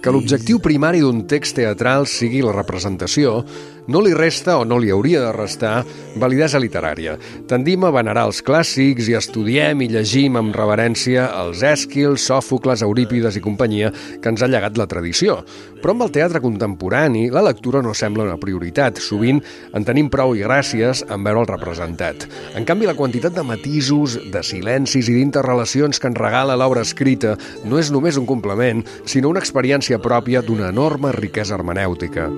Que l'objectiu primari d'un text teatral sigui la representació no li resta o no li hauria de restar validesa literària. Tendim a venerar els clàssics i estudiem i llegim amb reverència els Èsquils, Sòfocles, Eurípides i companyia que ens ha llegat la tradició. Però amb el teatre contemporani la lectura no sembla una prioritat. Sovint en tenim prou i gràcies en veure'l representat. En canvi, la quantitat de matisos, de silencis i d'interrelacions que ens regala l'obra escrita no és només un complement, sinó una experiència pròpia d'una enorme riquesa hermenèutica.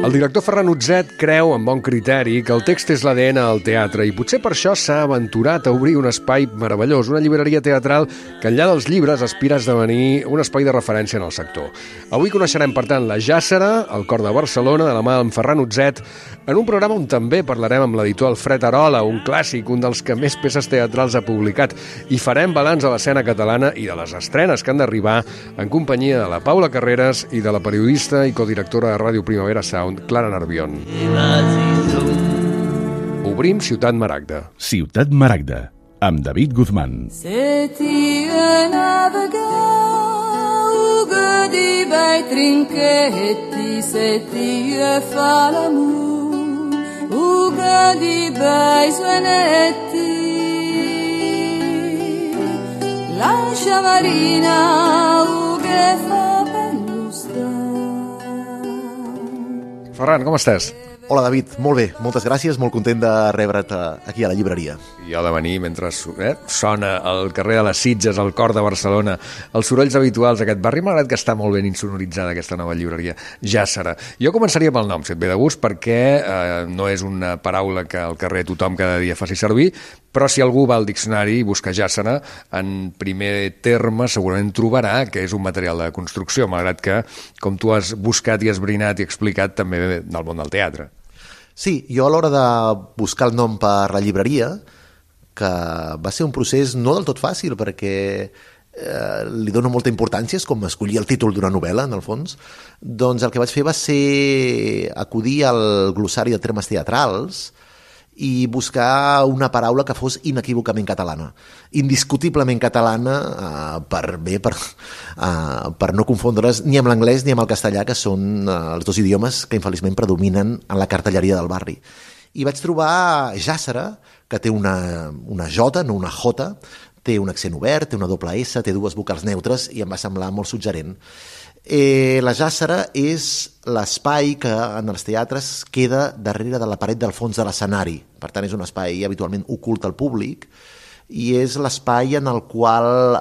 El director Ferran Utzet creu, amb bon criteri, que el text és l'ADN del teatre i potser per això s'ha aventurat a obrir un espai meravellós, una llibreria teatral que enllà dels llibres aspira a esdevenir un espai de referència en el sector. Avui coneixerem, per tant, la Jàssera, al Cor de Barcelona, de la mà d'en Ferran Utzet, en un programa on també parlarem amb l'editor Alfred Arola, un clàssic, un dels que més peces teatrals ha publicat, i farem balanç de l'escena catalana i de les estrenes que han d'arribar en companyia de la Paula Carreras i de la periodista i codirectora de Ràdio Primavera Sound, Clara Nervión. Obrim Ciutat Maragda. Ciutat Maragda, amb David Guzmán. Di bei trinchetti se ti fa l'amore, uga di bei suonetti, la sciamarina uga fa bellustra. Ferran, com estàs? Hola, David. Molt bé, moltes gràcies, molt content de rebre't aquí a la llibreria. I ha de venir mentre sona al carrer de les Sitges, al Cor de Barcelona, els sorolls habituals d'aquest barri. M'ha agradat que està molt ben insonoritzada aquesta nova llibreria, Jàssera. Jo començaria pel nom, si et ve de gust, perquè no és una paraula que al carrer tothom cada dia faci servir, però si algú va al diccionari i busca Jàssera, en primer terme segurament trobarà que és un material de construcció, malgrat que, com tu has buscat i esbrinat i explicat, també ve del món del teatre. Sí, jo a l'hora de buscar el nom per la llibreria, que va ser un procés no del tot fàcil, perquè li dono molta importància, és com escollir el títol d'una novel·la, en el fons, doncs el que vaig fer va ser acudir al glossari de termes teatrals i buscar una paraula que fos inequívocament catalana, indiscutiblement catalana, per no confondre's ni amb l'anglès ni amb el castellà, que són els dos idiomes que infeliçment predominen en la cartelleria del barri. I vaig trobar Jàssera, que té una J, no una J, té un accent obert, té una doble S, té dues vocals neutres i em va semblar molt suggerent. La Jàssera és l'espai que en els teatres queda darrere de la paret del fons de l'escenari. Per tant, és un espai habitualment ocult al públic i és l'espai en el qual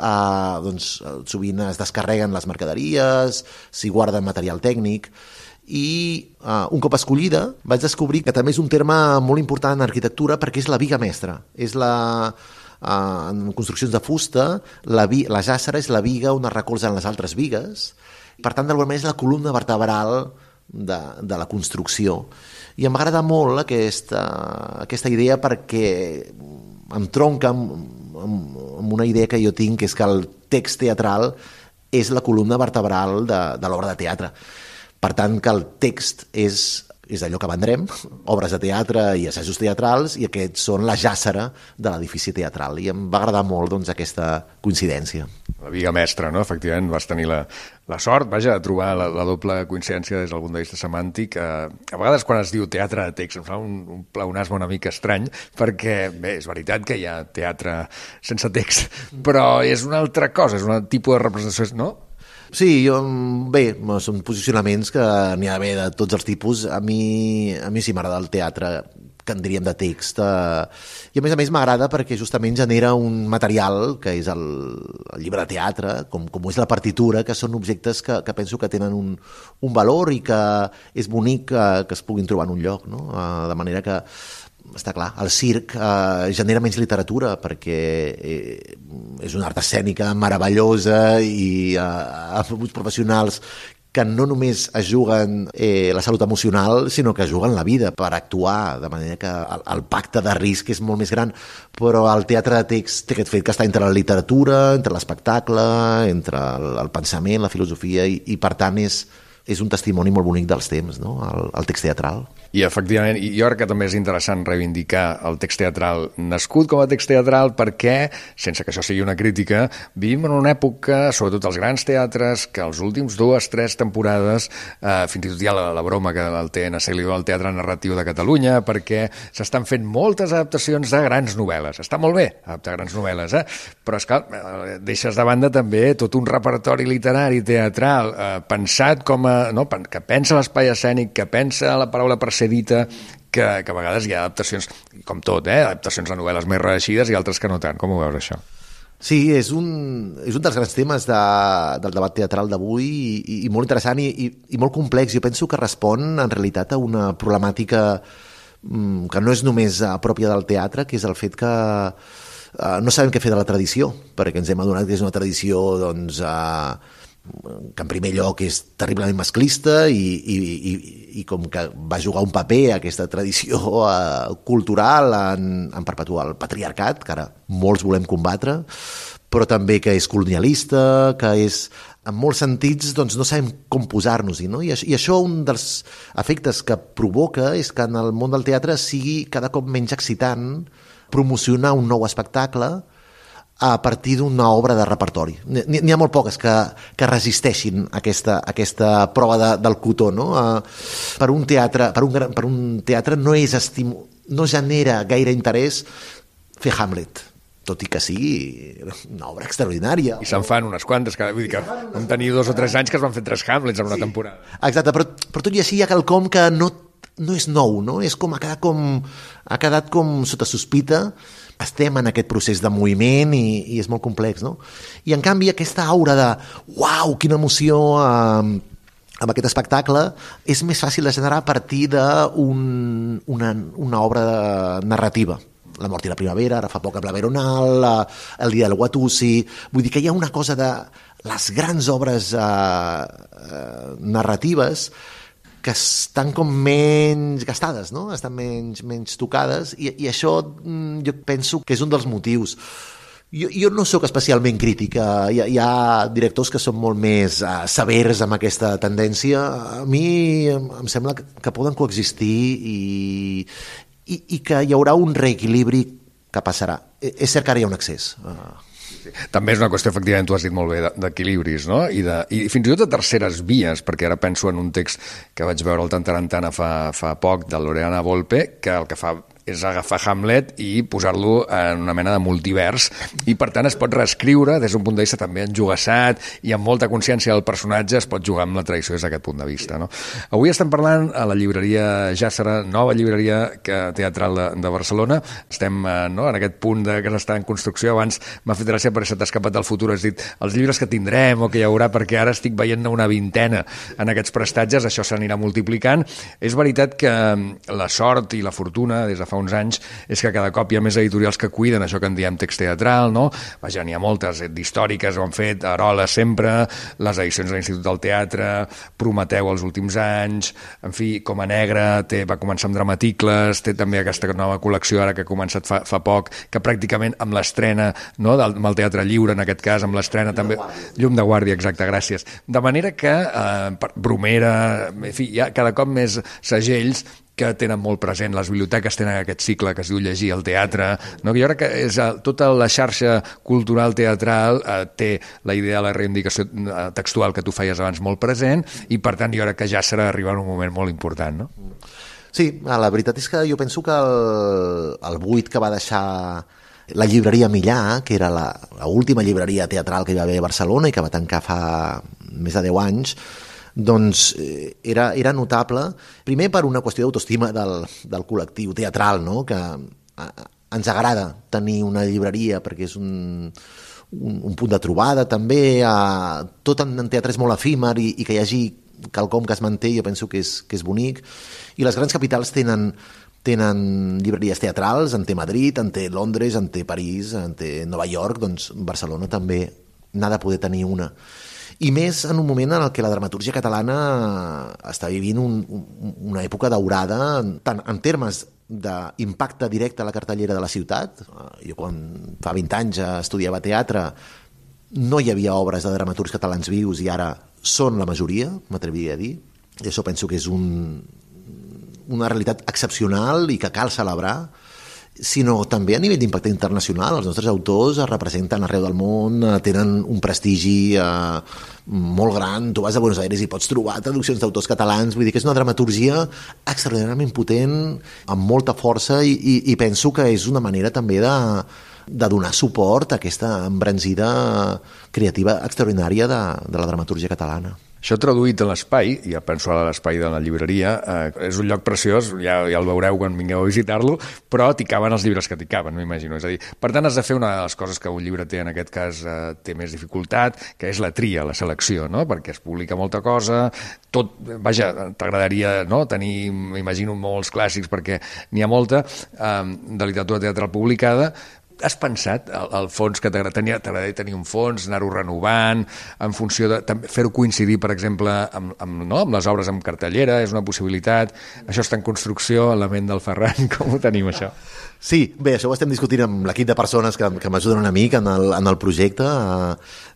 sovint es descarreguen les mercaderies, s'hi guarda material tècnic i un cop escollida vaig descobrir que també és un terme molt important en arquitectura perquè és la biga mestra. És en construccions de fusta, la Jàssera és la biga on es recolzen les altres bigues. Per tant, d'alguna manera és la columna vertebral de la construcció. I m'agrada molt aquesta idea perquè em tronca amb una idea que jo tinc, que és que el text teatral és la columna vertebral de l'obra de teatre. Per tant, que el text és d'allò que vendrem, obres de teatre i assajos teatrals, i aquests són la Jàssera de l'edifici teatral. I em va agradar molt aquesta coincidència. La biga mestra, no? Efectivament, vas tenir la sort, vaja, de trobar la doble coincidència des del punt de vista semàntic. A vegades quan es diu teatre de text em fa un pleonasme una mica estrany, perquè, bé, és veritat que hi ha teatre sense text, però és una altra cosa, és un tipus de representació, no? Sí, bé, són posicionaments que n'hi ha d'haver de tots els tipus. A mi sí m'agrada el teatre, que en diríem de text, i a més m'agrada perquè justament genera un material que és el llibre de teatre, com és la partitura, que són objectes que penso que tenen un valor i que és bonic que es puguin trobar en un lloc, no? De manera que està clar, el circ genera menys literatura perquè és una art escènica meravellosa i amb uns professionals que no només es juguen la salut emocional, sinó que juguen la vida per actuar, de manera que el pacte de risc és molt més gran, però el teatre de text té aquest fet que està entre la literatura, entre l'espectacle, entre el pensament, la filosofia, i per tant és és un testimoni molt bonic dels temps, no? El text teatral. I efectivament, jo crec que també és interessant reivindicar el text teatral nascut com a text teatral perquè, sense que això sigui una crítica, vivim en una època, sobretot els grans teatres, que els últims 2-3 temporades, fins i tot hi ha la broma que el TNC li diu al Teatre Narratiu de Catalunya, perquè s'estan fent moltes adaptacions de grans novel·les. Està molt bé adaptar grans novel·les, però és que deixes de banda també tot un repertori literari teatral pensat com a... No? Que pensa l'espai escènic, que pensa la paraula per ser dita, que a vegades hi ha adaptacions, com tot, adaptacions de novel·les més reeixides i altres que no tant. Com ho veus, això? Sí, és un dels grans temes del debat teatral d'avui i molt interessant i molt complex. Jo penso que respon, en realitat, a una problemàtica que no és només pròpia del teatre, que és el fet que no sabem què fer de la tradició, perquè ens hem adonat que és una tradició, doncs... que en primer lloc és terriblement masclista i com que va jugar un paper aquesta tradició cultural en perpetuar el patriarcat, que ara molts volem combatre, però també que és colonialista, que és... En molts sentits doncs, no sabem com posar-nos-hi, no? I això un dels efectes que provoca és que en el món del teatre sigui cada cop menys excitant promocionar un nou espectacle a partir d'una obra de repertori. N'hi ha molt poques que resisteixin aquesta prova del cotó, no? Per un teatre no genera gaire interès fer Hamlet, tot i que sigui una obra extraordinària. I se'n fan unes quantes, vull dir que vam tenir 2 o 3 anys que es van fer 3 Hamlets en una temporada. Exacte, però tot i així hi ha quelcom que no és nou, no? És com ha quedat com sota sospita. Estem en aquest procés de moviment i és molt complex, no? I en canvi aquesta aura de uau, quina emoció amb aquest espectacle és més fàcil de generar a partir d'una obra narrativa. La mort i la primavera, ara fa poc amb la Veronal, el dia del Watusi... Vull dir que hi ha una cosa de les grans obres narratives que estan com menys gastades, no? Estan menys tocades i això jo penso que és un dels motius. Jo no sóc especialment crític, hi ha directors que són molt més severs amb aquesta tendència. A mi em sembla que poden coexistir i que hi haurà un reequilibri que passarà. És cert que ara hi ha un excés. També és una qüestió, efectivament, tu has dit molt bé, d'equilibris, no? I fins i tot de terceres vies, perquè ara penso en un text que vaig veure al Tantarantana fa poc, de Loredana Volpe, que el que fa és agafar Hamlet i posar-lo en una mena de multivers i per tant es pot reescriure des d'un punt de vista també enjugassat i amb molta consciència del personatge es pot jugar amb la tradició des d'aquest punt de vista, no? Avui estem parlant a la llibreria Jàssera, nova llibreria teatral de Barcelona. Estem en aquest punt que està en construcció. Abans m'ha fet gràcia perquè se t'ha escapat del futur, has dit els llibres que tindrem o que hi haurà, perquè ara estic veient una vintena en aquests prestatges, això s'anirà multiplicant. És veritat que la sort i la fortuna des de fa uns anys és que cada cop hi ha més editorials que cuiden això que en diem text teatral, no? Vaja, n'hi ha moltes, d'històriques ho han fet, Arola sempre, les edicions de l'Institut del Teatre, Prometeu els últims anys, en fi, Coma Negra, va començar amb Dramaticles, té també aquesta nova col·lecció ara que ha començat fa poc, que pràcticament amb l'estrena, no? Amb el Teatre Lliure, en aquest cas, amb l'estrena també... Llum de Guàrdia, exacte, gràcies. De manera que Bromera, en fi, hi ha cada cop més segells que tenen molt present, les biblioteques tenen aquest cicle que es diu Llegir al teatre, no? Jo crec que tota la xarxa cultural teatral té la idea de la reivindicació textual que tu feies abans molt present i per tant jo crec que ja serà arribar en un moment molt important, no? Sí, la veritat és que jo penso que el buit que va deixar la llibreria Millà, que era l'última llibreria teatral que hi va haver a Barcelona i que va tancar fa més de 10 anys, doncs era notable, primer per una qüestió d'autoestima del col·lectiu teatral, no? Que ens agrada tenir una llibreria perquè és un punt de trobada també, tot en teatre és molt efímer i que hi hagi quelcom que es manté, jo penso que és bonic, i les grans capitals tenen llibreries teatrals, en té Madrid, en té Londres, en té París, en té Nova York, doncs Barcelona també n'ha de poder tenir una. I més en un moment en què la dramatúrgia catalana està vivint una època daurada, tant en termes d'impacte directe a la cartellera de la ciutat. Jo quan fa 20 anys estudiava teatre no hi havia obres de dramaturgs catalans vius i ara són la majoria, m'atreviria a dir, i això penso que és una realitat excepcional i que cal celebrar, sinó també a nivell d'impacte internacional. Els nostres autors es representen arreu del món, tenen un prestigi molt gran. Tu vas a Buenos Aires i pots trobar traduccions d'autors catalans, vull dir que és una dramaturgia extraordinàriament potent, amb molta força, i penso que és una manera també de donar suport a aquesta embranzida creativa extraordinària de la dramaturgia catalana. Això traduït en l'espai, ja penso a l'espai de la llibreria, és un lloc preciós, ja el veureu quan vingueu a visitar-lo, però t'hi caben els llibres que t'hi caben, m'imagino. És a dir, per tant, has de fer una de les coses que un llibreter en aquest cas té més dificultat, que és la tria, la selecció, no? Perquè es publica molta cosa, tot, vaja, t'agradaria tenir, m'imagino, molts clàssics, perquè n'hi ha molta, de literatura teatral publicada. Has pensat, al fons, que t'agradaria tenir un fons, anar-ho renovant, en funció de fer-ho coincidir, per exemple, amb les obres amb cartellera, és una possibilitat? Això està en construcció, en la ment del Ferran, com ho tenim, això? Sí, bé, això ho estem discutint amb l'equip de persones que m'ajuden una mica en el projecte,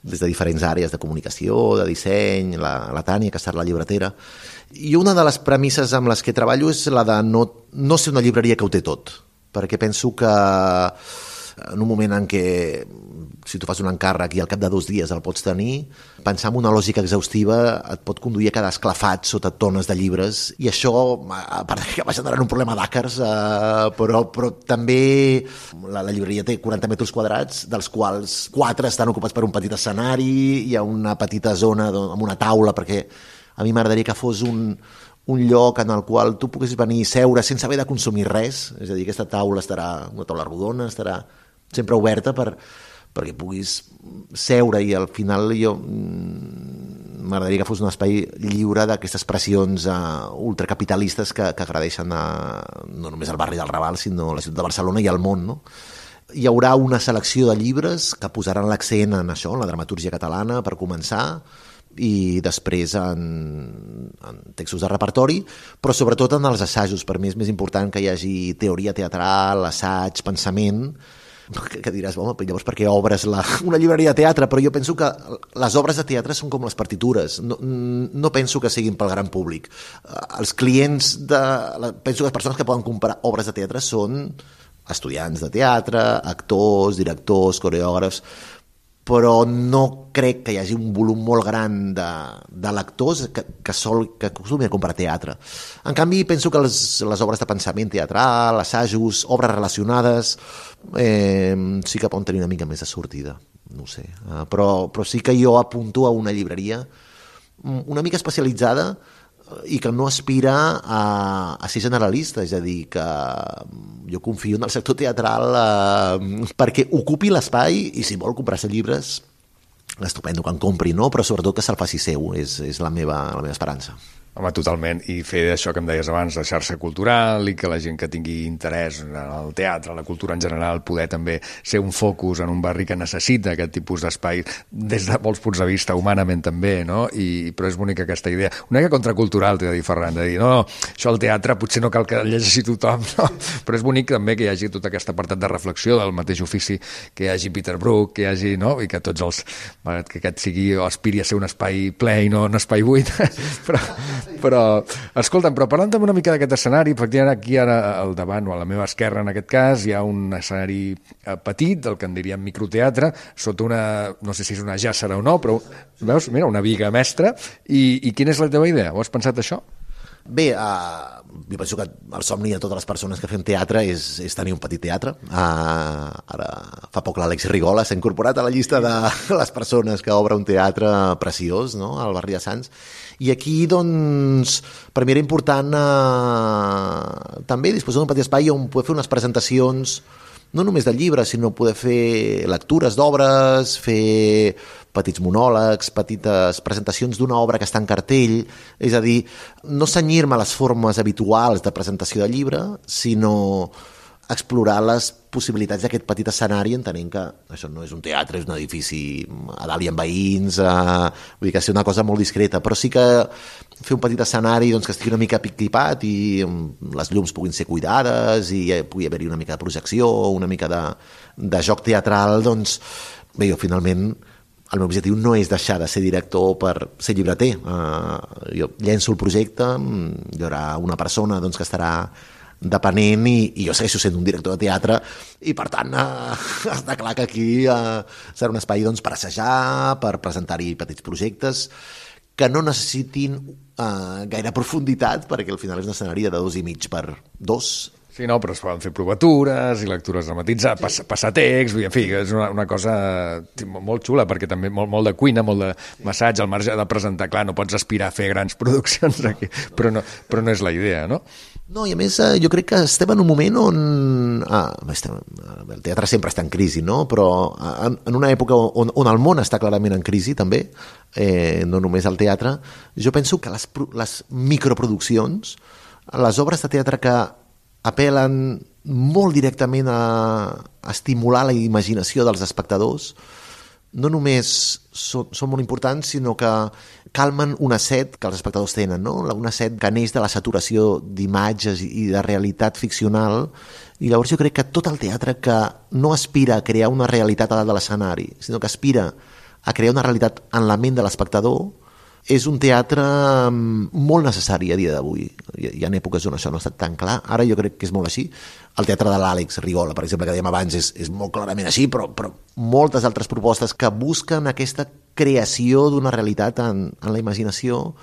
des de diferents àrees de comunicació, de disseny, la Tània, que està a la llibretera. I una de les premisses amb les que treballo és la de no ser una llibreria que ho té tot, perquè penso que en un moment en què, si tu fas un encàrrec i al cap de 2 dies el pots tenir, pensar en una lògica exhaustiva et pot conduir a quedar esclafat sota tones de llibres, i això, a part que va generar un problema d'àcars, però també la llibreria té 40 metres quadrats, dels quals 4 estan ocupats per un petit escenari, hi ha una petita zona amb una taula, perquè a mi m'agradaria que fos un lloc en el qual tu poguessis venir i seure sense haver de consumir res, és a dir, aquesta taula estarà, una taula rodona, estarà sempre oberta perquè puguis seure, i al final jo m'agradaria que fos un espai lliure d'aquestes pressions ultracapitalistes que agradeixen no només al barri del Raval, sinó a la ciutat de Barcelona i al món, no? Hi haurà una selecció de llibres que posaran l'accent en això, en la dramaturgia catalana, per començar, i després en textos de repertori, però sobretot en els assajos. Per mi és més important que hi hagi teoria teatral, assaig, pensament, que diràs, home, llavors per què obres una llibreria de teatre? Però jo penso que les obres de teatre són com les partitures, no penso que siguin pel gran públic. Els clients, penso que les persones que poden comprar obres de teatre són estudiants de teatre, actors, directors, coreògrafs, però no crec que hi hagi un volum molt gran de lectors que acostumin a comprar teatre. En canvi, penso que les obres de pensament teatral, assajos, obres relacionades, sí que poden tenir una mica més de sortida, no ho sé. Però sí que jo apunto a una llibreria una mica especialitzada i que no aspira a ser generalista, és a dir, que jo confio en el sector teatral perquè ocupi l'espai, i si vol comprar-se llibres, estupendo que en compri, no? Però sobretot que se'l faci seu, és la meva esperança. Home, totalment, i fer això que em deies abans, de xarxa cultural, i que la gent que tingui interès en el teatre, la cultura en general, poder també ser un focus en un barri que necessita aquest tipus d'espai, des de molts punts de vista, humanament també, no? Però és bonica aquesta idea. Una mica contracultural, t'he de dir, Ferran, de dir, no, això al teatre potser no cal que llegeixi tothom, no? Però és bonic també que hi hagi tot aquest apartat de reflexió del mateix ofici, que hi hagi Peter Brook, que hi hagi, no? I que tots que aquest sigui o aspiri a ser un espai ple i no un espai buit, però escolta'm, però parlant també una mica d'aquest escenari, efectivament aquí ara al davant o a la meva esquerra en aquest cas hi ha un escenari petit, del que en diríem microteatre, sota una, no sé si és una jàssera o no, però veus, mira, una viga mestra, i quina és la teva idea? Ho has pensat això? Bé, jo penso que el somni de totes les persones que fem teatre és tenir un petit teatre. Ara fa poc l'Àlex Rigola s'ha incorporat a la llista de les persones que obre un teatre preciós, no?, al barri de Sants. I aquí, doncs, per mi era important també disposar d'un petit espai on poder fer unes presentacions no només de llibres, sinó poder fer lectures d'obres, fer petits monòlegs, petites presentacions d'una obra que està en cartell, és a dir, no cenyir-me a les formes habituals de presentació de llibre, sinó explorar les possibilitats d'aquest petit escenari, entenent que això no és un teatre, és un edifici a dalt i amb veïns, vull dir que és una cosa molt discreta, però sí que fer un petit escenari doncs, que estigui una mica pic-tipat i les llums puguin ser cuidades i pugui haver-hi una mica de projecció, una mica de joc teatral, doncs bé, jo finalment el meu objectiu no és deixar de ser director per ser llibreter. Jo llenço el projecte, hi haurà una persona doncs, que estarà depenent i jo segueixo sent un director de teatre i per tant està clar que aquí serà un espai doncs, per assajar, per presentar-hi petits projectes que no necessitin gaire profunditat perquè al final és un escenari de 2,5 per 2. Sí, no, però es poden fer provatures i lectures dramatitzades, passar text, en fi, és una cosa molt xula, perquè també molt de cuina, molt de massatge, al marge de presentar, clar, no pots aspirar a fer grans produccions aquí, però no és la idea, no? No, i a més jo crec que estem en un moment on el teatre sempre està en crisi, no? Però en una època on el món està clarament en crisi també, no només el teatre, jo penso que les microproduccions, les obres de teatre que apel·len molt directament a estimular la imaginació dels espectadors, no només són molt importants, sinó que calmen una set que els espectadors tenen, no? Una set que neix de la saturació d'imatges i de realitat ficcional, i llavors jo crec que tot el teatre que no aspira a crear una realitat a dalt de l'escenari, sinó que aspira a crear una realitat en la ment de l'espectador, és un teatre molt necessari a dia d'avui. Hi ha èpoques on això no ha estat tan clar. Ara jo crec que és molt així. El teatre de l'Àlex Rigola, per exemple, que dèiem abans, és molt clarament així, però moltes altres propostes que busquen aquesta creació d'una realitat en la imaginació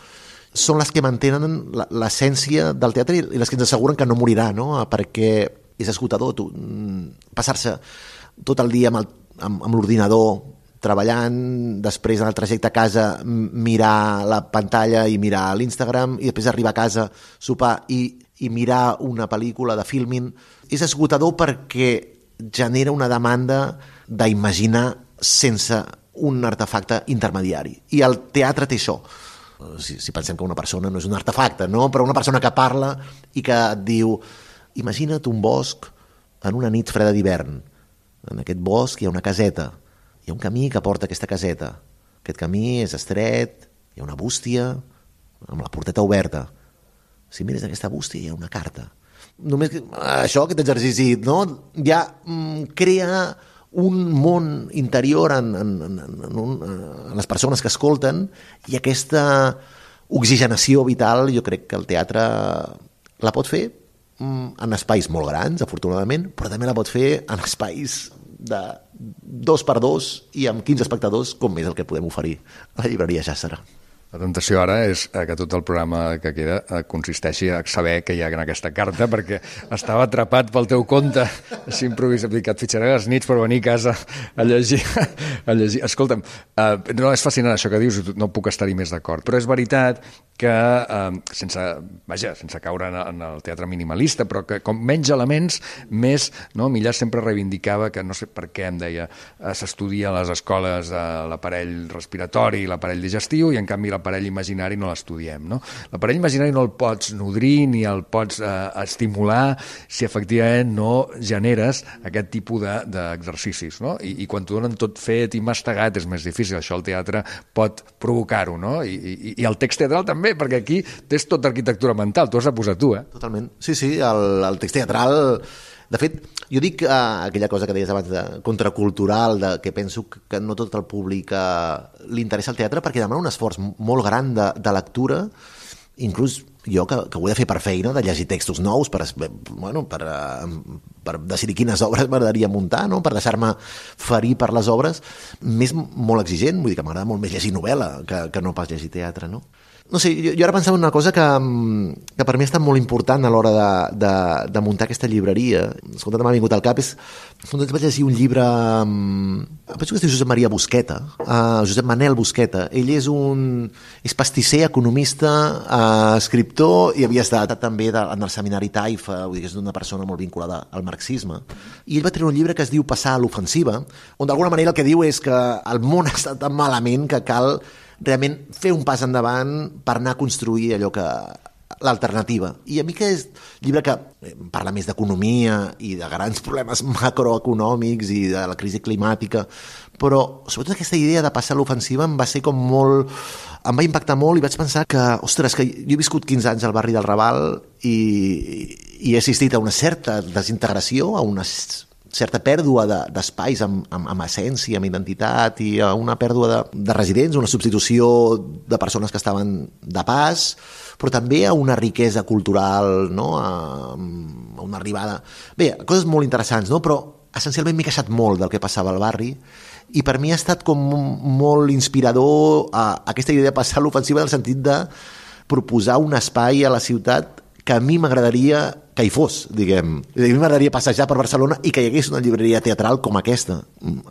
són les que mantenen l'essència del teatre i les que ens asseguren que no morirà, no? Perquè és esgotador passar-se tot el dia amb l'ordinador treballant, després en el trajecte a casa mirar la pantalla i mirar l'Instagram i després arribar a casa, sopar i mirar una pel·lícula de Filmin. És esgotador perquè genera una demanda d'imaginar sense un artefacte intermediari. I el teatre té això. Si pensem que una persona no és un artefacte, no? Però una persona que parla i que et diu imagina't un bosc en una nit freda d'hivern. En aquest bosc hi ha una caseta. Hi ha un camí que porta a aquesta caseta. Aquest camí és estret, hi ha una bústia amb la porteta oberta. Si mires aquesta bústia hi ha una carta. Només això, aquest exercici, no? Ja crea un món interior en les persones que escolten i aquesta oxigenació vital jo crec que el teatre la pot fer en espais molt grans, afortunadament, però també la pot fer en espais de 2x2 i amb 15 espectadors, com és el que podem oferir a la llibreria Jàssera. La tentació ara és que tot el programa que queda consisteixi a saber què hi ha en aquesta carta, perquè estava atrapat pel teu compte, així improvisat, que et fitxaré les nits per venir a casa a llegir. Escolta'm, no, és fascinant això que dius, no puc estar-hi més d'acord, però és veritat que, sense caure en el teatre minimalista, però que com menys elements, més, no? Millàs sempre reivindicava que, no sé per què em deia, s'estudia a les escoles l'aparell respiratori i l'aparell digestiu i en canvi l'aparell imaginari no l'estudiem, no? L'aparell imaginari no el pots nodrir ni el pots estimular si efectivament no generes aquest tipus d'exercicis, no? I quan t'ho donen tot fet i mastegat és més difícil. Això el teatre pot provocar-ho, no? I el text teatral també, perquè aquí tens tota arquitectura mental, t'ho has de posar tu, Totalment. Sí, el text teatral... De fet, jo dic aquella cosa que deies abans de contracultural, que penso que no tot el públic li interessa el teatre perquè demana un esforç molt gran de lectura, inclús jo que ho he de fer per feina, de llegir textos nous per decidir quines obres m'agradaria muntar, no? Per deixar-me ferir per les obres, m'és molt exigent, vull dir que m'agrada molt més llegir novel·la que no pas llegir teatre, no? No sé, jo ara pensava en una cosa que per mi ha estat molt important a l'hora de muntar aquesta llibreria. Escolta, m'ha vingut al cap, vaig llegir un llibre, penso que es diu Josep Maria Busqueta, Josep Manel Busqueta. Ell és pastisser, economista, escriptor, i havia estat també en el seminari Taifa, vull dir que és una persona molt vinculada al marxisme. I ell va treure un llibre que es diu Passar a l'ofensiva, on d'alguna manera el que diu és que el món està tan malament que cal realment fer un pas endavant per anar a construir allò que l'alternativa. I a mi que és llibre que parla més d'economia i de grans problemes macroeconòmics i de la crisi climàtica, però sobretot aquesta idea de passar a l'ofensiva em va impactar molt i vaig pensar que, ostres, que jo he viscut 15 anys al barri del Raval i he assistit a una certa desintegració, a una certa pèrdua d'espais amb essència, amb identitat, i una pèrdua de residents, una substitució de persones que estaven de pas, però també a una riquesa cultural, no? A una arribada... Bé, coses molt interessants, no? Però essencialment m'he queixat molt del que passava al barri, i per mi ha estat com molt inspirador aquesta idea de passar l'ofensiva en el sentit de proposar un espai a la ciutat que a mi m'agradaria que hi fos, diguem. A mi m'agradaria passejar per Barcelona i que hi hagués una llibreria teatral com aquesta.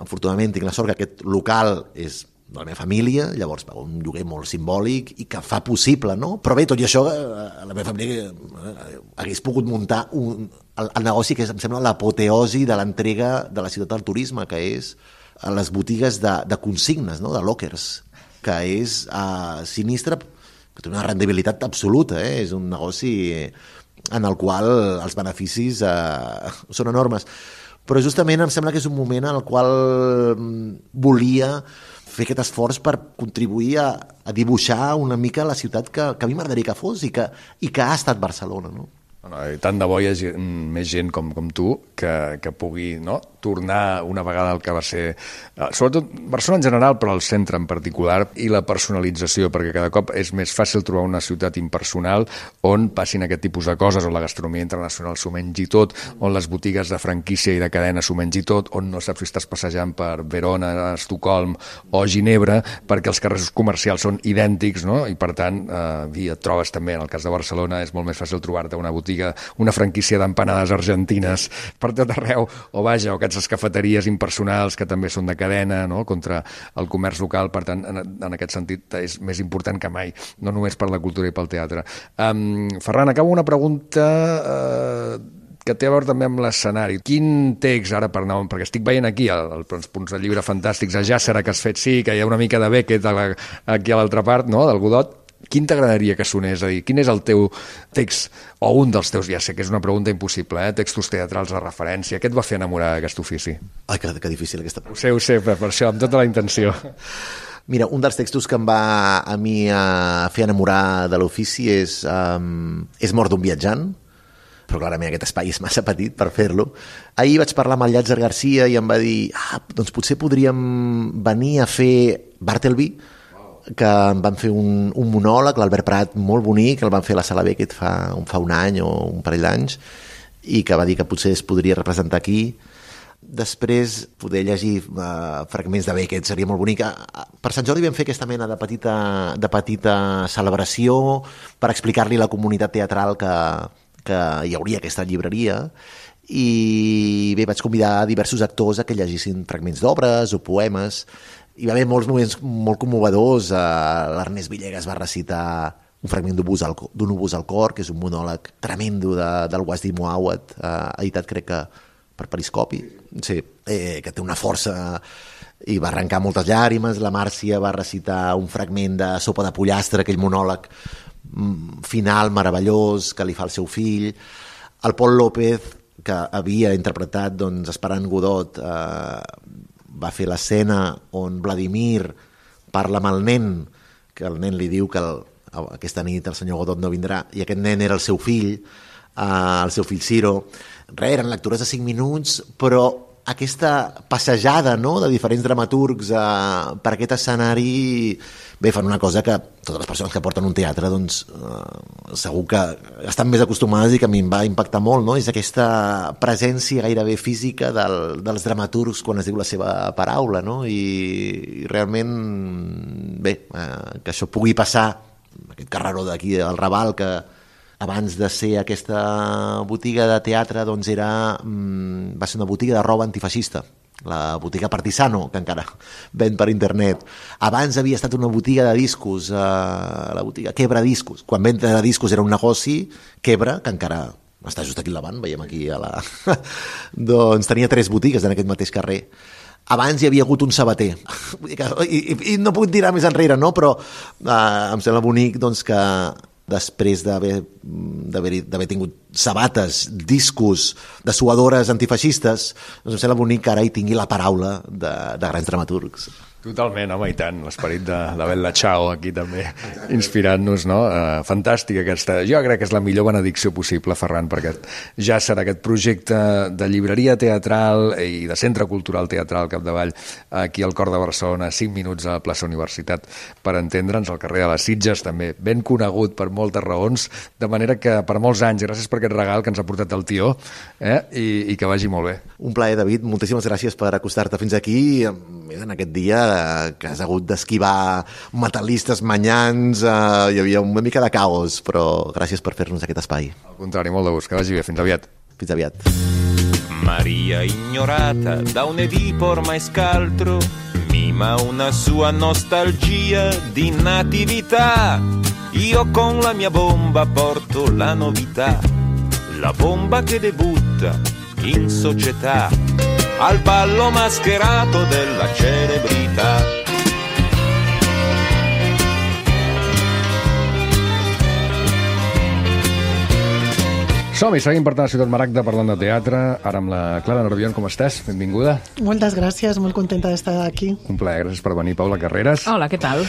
Afortunadament tinc la sort que aquest local és de la meva família, llavors un lloguer molt simbòlic i que fa possible, no? Però bé, tot i això, la meva família hagués pogut muntar el negoci que em sembla l'apoteosi de l'entrega de la ciutat al turisme, que és a les botigues de consignes, no? De lockers, que és sinistre, que té una rendibilitat absoluta, és un negoci en el qual els beneficis són enormes. Però justament em sembla que és un moment en el qual volia fer aquest esforç per contribuir a dibuixar una mica la ciutat que a mi m'agradaria que fos i que ha estat Barcelona, no? Tant de bo hi hagi més gent com tu que pugui, no?, tornar una vegada al que va ser, sobretot Barcelona en general, però el centre en particular, i la personalització, perquè cada cop és més fàcil trobar una ciutat impersonal on passin aquest tipus de coses, on la gastronomia internacional s'ho mengi tot, on les botigues de franquícia i de cadena s'ho mengi tot, on no saps si estàs passejant per Verona, Estocolm o Ginebra, perquè els carrers comercials són idèntics, no?, i per tant et trobes també, en el cas de Barcelona, és molt més fàcil trobar-te una botiga, una franquícia d'empanades argentines per tot arreu, o vaja, o aquestes cafeteries impersonals que també són de cadena, no?, contra el comerç local. Per tant, en aquest sentit és més important que mai, no només per la cultura i pel teatre. Ferran, acabo una pregunta que té a veure també amb l'escenari. Quin text, ara per anar, perquè estic veient aquí els punts de llibre fantàstics a Jàssera que has fet, sí, que hi ha una mica de Beckett aquí a l'altra part, no?, del Godot. Quin t'agradaria que sonés? És a dir, quin és el teu text, o un dels teus, ja sé que és una pregunta impossible, textos teatrals de referència? Què et va fer enamorar d'aquest ofici? Ai, que difícil aquesta pregunta. Ho sé, per això, amb tota la intenció. Mira, un dels textos que em va a mi fer enamorar de l'ofici és Mort d'un viatjant, però clarament aquest espai és massa petit per fer-lo. Ahir vaig parlar amb el Llàtzer Garcia i em va dir doncs potser podríem venir a fer Bartleby, que em van fer un monòleg, l'Albert Prat, molt bonic, el van fer a la Sala Beckett fa un any o un parell d'anys, i que va dir que potser es podria representar aquí. Després poder llegir fragments de Beckett seria molt bonic. Per Sant Jordi vam fer aquesta mena de petita celebració per explicar-li a la comunitat teatral que hi hauria aquesta llibreria, i bé, vaig convidar diversos actors a que llegissin fragments d'obres o poemes. Hi va haver molts moments molt commovedors. L'Ernest Villegas va recitar un fragment d'un obús al cor, que és un monòleg tremendo del Wajdi Mouawad, editat crec que per Periscopi, sí, que té una força i va arrencar moltes llàgrimes. La Màrcia va recitar un fragment de Sopa de pollastre, aquell monòleg final meravellós que li fa el seu fill. El Pol López, que havia interpretat Esperant Godot, va fer l'escena on Vladimir parla amb el nen, que el nen li diu que aquesta nit el senyor Godot no vindrà, i aquest nen era el seu fill Ciro. Eren lectures de 5 minuts, però aquesta passejada, no?, de diferents dramaturgs per aquest escenari, bé, fan una cosa que totes les persones que porten un teatre segur que estan més acostumades i que a mi em va impactar molt, no? És aquesta presència gairebé física dels dramaturgs quan es diu la seva paraula, no? I realment, bé, que això pugui passar, aquest carreró d'aquí al Raval, que abans de ser aquesta botiga de teatre va ser una botiga de roba antifeixista, la botiga Partisano, que encara ven per internet. Abans havia estat una botiga de discos, la botiga Quebra Discos. Quan venda de discos era un negoci, Quebra, que encara està just aquí al davant, veiem aquí doncs tenia 3 botigues en aquest mateix carrer. Abans hi havia hagut un sabater. I no puc tirar més enrere, no? Però em sembla bonic que després d'haver tingut sabates, discos, dessuadores antifeixistes, doncs em sembla bonic que ara hi tingui la paraula de grans dramaturgs. Totalment, home, i tant, l'esperit de Bella Ciao aquí també, inspirant-nos, no? Fantàstica aquesta... Jo crec que és la millor benedicció possible, Ferran, perquè ja serà aquest projecte de llibreria teatral i de centre cultural teatral capdavall aquí al cor de Barcelona, 5 minuts a la plaça Universitat, per entendre'ns, al carrer de les Sitges, també ben conegut per moltes raons, de manera que per molts anys, gràcies per aquest regal que ens ha portat el tió, i que vagi molt bé. Un plaer, David, moltíssimes gràcies per acostar-te fins aquí en aquest dia que has hagut d'esquivar metalistes manyans, hi havia una mica de caos, però gràcies per fer-nos aquest espai. Al contrari, molt de gust, que vagi bé, fins aviat. Fins aviat. Maria ignorata da un Edipo ormai scaltro mima una sua nostalgia di natività. Io con la mia bomba porto la novità, la bomba che debutta in società al ballo mascherato della celebrità. Som-hi, seguim per tant a Ciutat Maragda parlant de teatre, ara amb la Clara Nervión, com estàs? Benvinguda. Moltes gràcies, molt contenta d'estar aquí. Un plaer, gràcies per venir, Paula Carreras. Hola, què tal?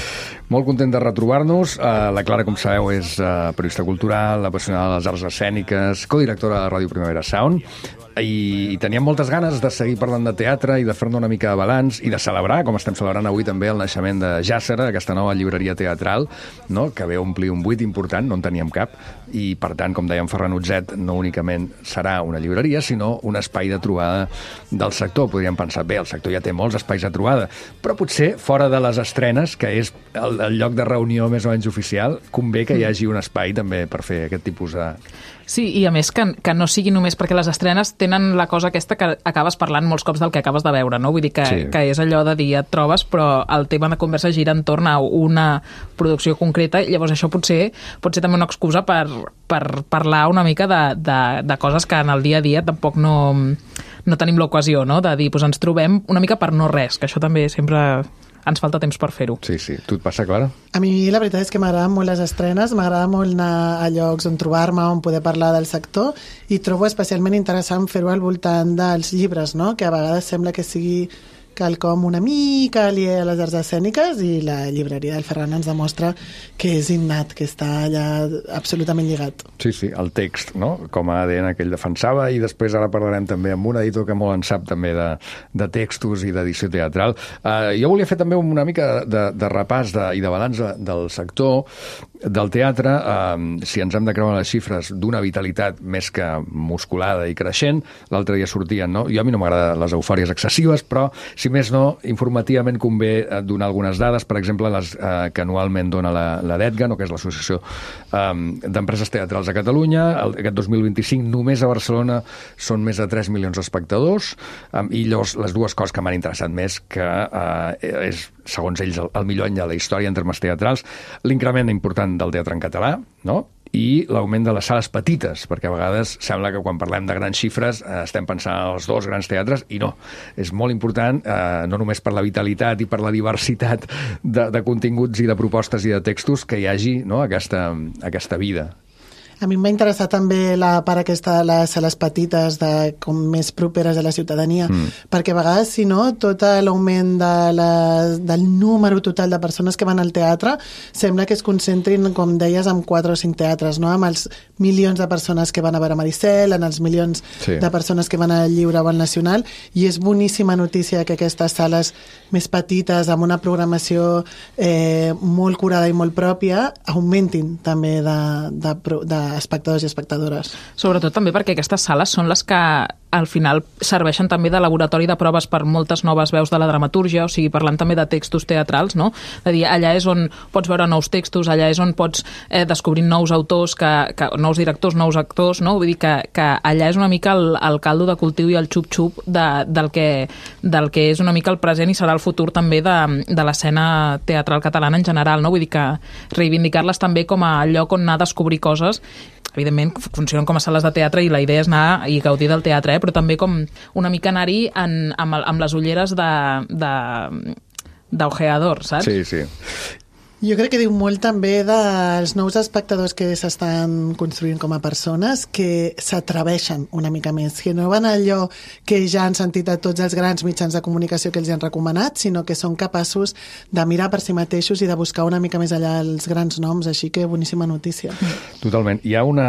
Molt content de retrobar-nos. La Clara, com sabeu, és periodista cultural, apassionada de les arts escèniques, codirectora de Ràdio Primavera Sound, i teníem moltes ganes de seguir parlant de teatre i de fer-ne una mica de balanç i de celebrar, com estem celebrant avui també, el naixement de Jàssera, aquesta nova llibreria teatral, no?, que ve a omplir un buit important, no en teníem cap, i per tant, com deia en Ferran Utzet, no únicament serà una llibreria, sinó un espai de trobada del sector. Podríem pensar, bé, el sector ja té molts espais de trobada, però potser fora de les estrenes, que és el lloc de reunió més o menys oficial, convé que hi hagi un espai també per fer aquest tipus de... Sí, i a més que no sigui només perquè les estrenes tenen la cosa aquesta que acabes parlant molts cops del que acabes de veure, no? Vull dir que, sí, que és allò de dir et trobes, però el tema de conversa gira entorn a una producció concreta, i llavors això pot ser també una excusa per parlar una mica de coses que en el dia a dia tampoc no tenim l'ocasió, no?, de dir, doncs ens trobem una mica per no res, que això també sempre... ens falta temps per fer-ho. Sí, sí. Tu et passa, Clara? A mi la veritat és que m'agraden molt les estrenes, m'agrada molt anar a llocs on trobar-me, on poder parlar del sector, i trobo especialment interessant fer-ho al voltant dels llibres, no?, que a vegades sembla que sigui quelcom una mica aliè a les arts escèniques, i la llibreria del Ferran ens demostra que és innat, que està allà absolutament lligat. Sí, sí, el text, no?, com a ADN que ell defensava, i després ara parlarem també amb un editor que molt en sap també de textos i d'edició teatral. Jo volia fer també una mica de repàs i de balanç del sector del teatre, si ens hem de creure les xifres d'una vitalitat més que musculada i creixent. L'altre dia sortien, no? Jo a mi no m'agraden les eufòries excessives, però si més no, informativament convé donar algunes dades, per exemple, les que anualment dona la DETGA, no?, que és l'Associació d'Empreses Teatrals a Catalunya. Aquest 2025 només a Barcelona són més de 3 milions d'espectadors, i llavors les dues coses que m'han interessat més, que és, segons ells, el millor any de la història en termes teatrals, l'increment important del teatre en català, no?, i l'augment de les sales petites, perquè a vegades sembla que quan parlem de grans xifres estem pensant en els dos grans teatres, i no. És molt important, no només per la vitalitat i per la diversitat de continguts i de propostes i de textos, que hi hagi, no?, aquesta vida. A mi m'ha interessat també la part aquesta de les sales petites, com més properes a la ciutadania, perquè a vegades, si no, tot l'augment del número total de persones que van al teatre sembla que es concentrin, com deies, en 4 o 5 teatres, no?, amb els milions de persones que van a veure Maricel, en els milions de persones que van al Lliure o al Nacional, i és boníssima notícia que aquestes sales més petites, amb una programació molt curada i molt pròpia, augmentin també de espectadors i espectadores. Sobretot també perquè aquestes sales són les que al final serveixen també de laboratori de proves per moltes noves veus de la dramatúrgia, o sigui, parlant també de textos teatrals, no? És a dir, allà és on pots veure nous textos, allà és on pots descobrir nous autors, nous directors, nous actors, no? Vull dir que allà és una mica el caldo de cultiu i el xup-xup del que és una mica el present i serà el futur també de l'escena teatral catalana en general, no? Vull dir que reivindicar-les també com a lloc on anar a descobrir coses. Evidentment funcionen com a sales de teatre i la idea és anar i gaudir del teatre, però també com una mica anar-hi amb les ulleres d'ojeador, saps? Sí, sí. Jo crec que diu molt també dels nous espectadors que s'estan construint com a persones, que s'atreveixen una mica més, que no van allò que ja han sentit a tots els grans mitjans de comunicació que els han recomanat, sinó que són capaços de mirar per si mateixos i de buscar una mica més allà els grans noms, així que boníssima notícia. Totalment. Hi ha una...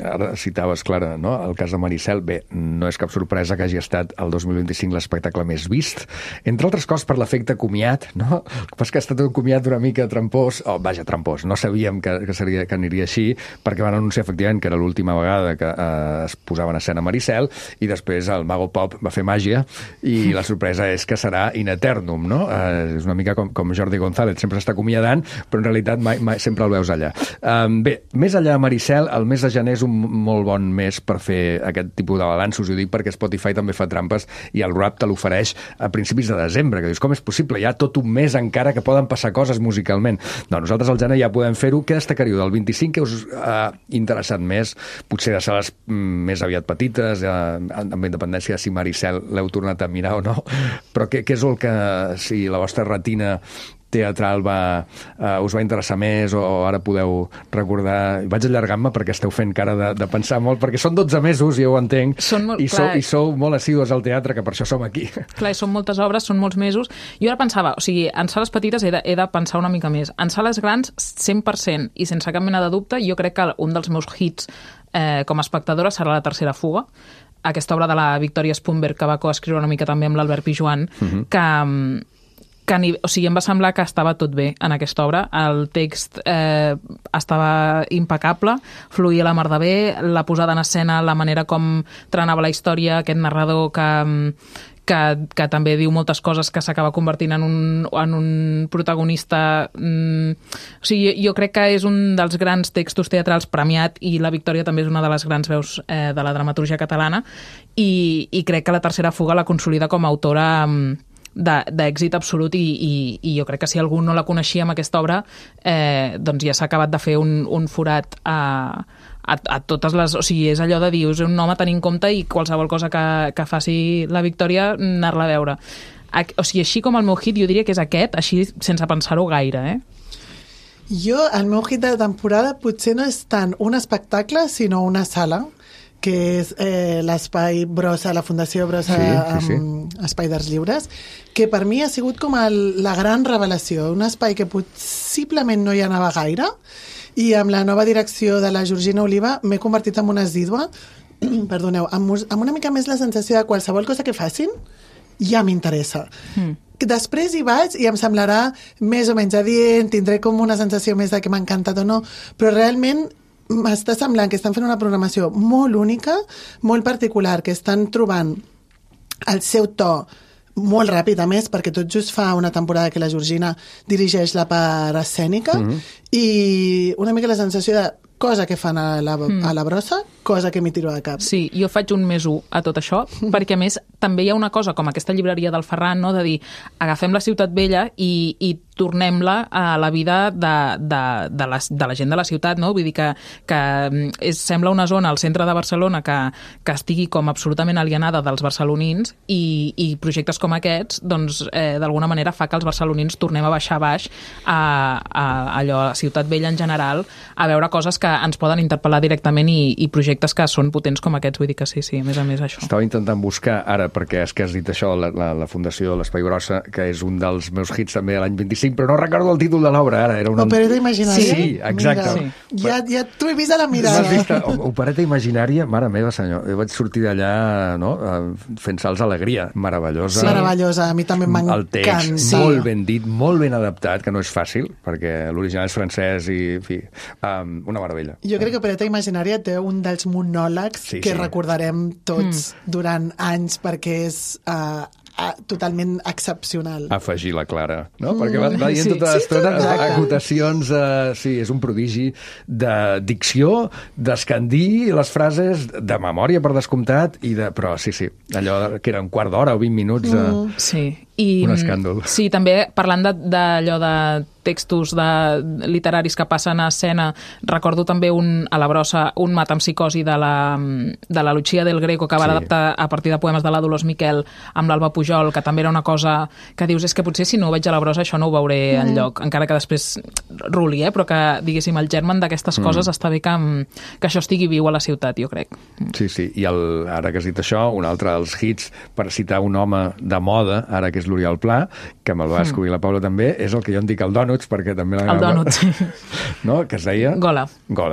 Ara citaves, Clara, no? El cas de Maricel. Bé, no és cap sorpresa que hagi estat el 2025 l'espectacle més vist, entre altres coses per l'efecte comiat, no? El que passa que ha estat un comiat una mica trampós, trampós, no sabíem que aniria així, perquè van anunciar efectivament que era l'última vegada que es posava en escena Maricel, i després el Mago Pop va fer màgia, i la sorpresa és que serà in eternum, no? És una mica com Jordi González, sempre s'està acomiadant, però en realitat mai sempre el veus allà. Bé, més allà de Maricel, el mes de gener és un molt bon mes per fer aquest tipus de balanços, ho dic perquè Spotify també fa trampes, i el rap te l'ofereix a principis de desembre, que dius, com és possible? Hi ha tot un mes encara que poden passar coses musicalment. No, nosaltres al gener ja podem fer-ho. Què destacaríeu del 25 que us ha interessat més? Potser de sales més aviat petites, amb independència de si Maricel l'heu tornat a mirar o no, però què és el que, si la vostra retina teatral us va interessar més, o ara podeu recordar... Vaig allargant-me perquè esteu fent cara de pensar molt, perquè són 12 mesos, ja ho entenc, i sou molt assídues al teatre, que per això som aquí. Clar, són moltes obres, són molts mesos. Jo ara pensava, o sigui, en sales petites he de pensar una mica més. En sales grans, 100%, i sense cap mena de dubte, jo crec que un dels meus hits com a espectadora serà La tercera fuga, aquesta obra de la Victòria Spunberg, que va coescriure una mica també amb l'Albert Pijuan, o sigui, em va semblar que estava tot bé en aquesta obra. El text estava impecable, fluïa la mar de bé, la posada en escena, la manera com trenava la història, aquest narrador que també diu moltes coses, que s'acaba convertint en un protagonista. O sigui, jo crec que és un dels grans textos teatrals premiat, i la Victòria també és una de les grans veus de la dramaturgia catalana, i crec que La tercera fuga la consolida com a autora d'èxit absolut, i jo crec que si algú no la coneixia amb aquesta obra, doncs ja s'ha acabat de fer un forat a totes les... O sigui, és allò de dir, és un home a tenir en compte, i qualsevol cosa que faci la Victòria, anar-la a veure. O sigui, així com el meu hit, jo diria que és aquest, així sense pensar-ho gaire, El meu hit de temporada potser no és tant un espectacle, sinó una sala, que és l'espai Brossa, la Fundació Brossa, Espai d'Arts Lliures, que per mi ha sigut com la gran revelació, un espai que possiblement no hi anava gaire, i amb la nova direcció de la Georgina Oliva m'he convertit en una assídua, perdoneu, amb una mica més la sensació de qualsevol cosa que facin ja m'interessa. Després hi vaig i em semblarà més o menys adient, tindré com una sensació més de que m'ha encantat o no, però realment m'està semblant que estan fent una programació molt única, molt particular, que estan trobant el seu to molt ràpid, a més, perquè tot just fa una temporada que la Georgina dirigeix la part escènica, i una mica la sensació de cosa que fan a la brossa, cosa que m'hi tiro de cap. Sí, jo faig un més 1 a tot això, perquè a més també hi ha una cosa com aquesta llibreria del Ferran, no? De dir, agafem la Ciutat Vella i tornem-la a la vida de la gent de la ciutat, no? Vull dir que sembla una zona al centre de Barcelona que estigui com absolutament alienada dels barcelonins, i projectes com aquests, doncs, d'alguna manera fa que els barcelonins tornem a baixar baix a allò, a Ciutat Vella en general, a veure coses que ens poden interpel·lar directament, i projectes que són potents com aquests. Vull dir que sí, a més això. Estava intentant buscar ara, perquè és que has dit això, la Fundació l'Espai Brossa, que és un dels meus hits també de l'any 25, però no recordo el títol de l'obra ara. Era Opereta Imaginària? Sí, exacte. Sí. Ja t'ho he vist a la mirada. M'has vist Opereta Imaginària? Mare meva, senyor. Jo vaig sortir d'allà, no?, fent salts d'alegria. Meravellosa. Sí. Meravellosa, a mi també m'encanta. El text, molt ben dit, molt ben adaptat, que no és fàcil, perquè l'original és francès i, en fi, una meravella. Jo crec que Opereta Imaginària té un dels monòlegs que recordarem tots durant anys, perquè és totalment excepcional. Afegir la Clara, no? Perquè va dient tota l'estona acotacions, és un prodigi de dicció, d'escandir les frases, de memòria, per descomptat, però sí, allò que era un quart d'hora o 20 minuts, un escàndol. Sí, també parlant d'allò de textos literaris que passen a escena. Recordo també a la brossa un Metempsicosi de la Lucia del Greco, que va adaptar a partir de poemes de la Dolors Miquel amb l'Alba Pujol, que també era una cosa que dius, és que potser si no ho veig a la brossa això no ho veuré enlloc, encara que després ruli, però que, diguéssim, el germen d'aquestes coses està bé que això estigui viu a la ciutat, jo crec. Sí, i ara que has dit això, un altre dels hits, per citar un home de moda, ara que és l'Oriol Pla, que me'l va descobrir la Paula també, és el que jo en dic el Donuts, perquè també el Donuts, sí. No? Que es deia... Gola,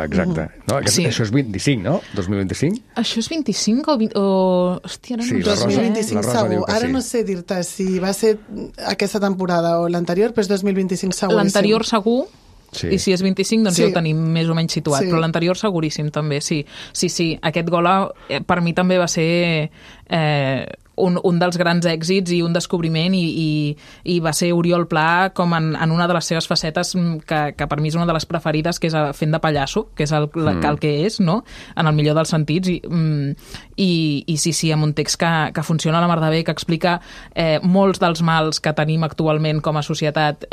exacte. No? Sí. Això és 25, no? 2025? Això és 25 o... Hòstia, sí, 2025 segur. Ara no sé dir-te si va ser aquesta temporada o l'anterior, però és 2025 segur. L'anterior segur, i si és 25 doncs ja ho tenim més o menys situat, però l'anterior seguríssim també, sí. Aquest Gola per mi també va ser un dels grans èxits i un descobriment i va ser Oriol Pla com en una de les seves facetes que per mi és una de les preferides, que és fent de pallasso, que és el que és, no? En el millor dels sentits, i sí, amb un text que funciona a la mar de bé, que explica molts dels mals que tenim actualment com a societat.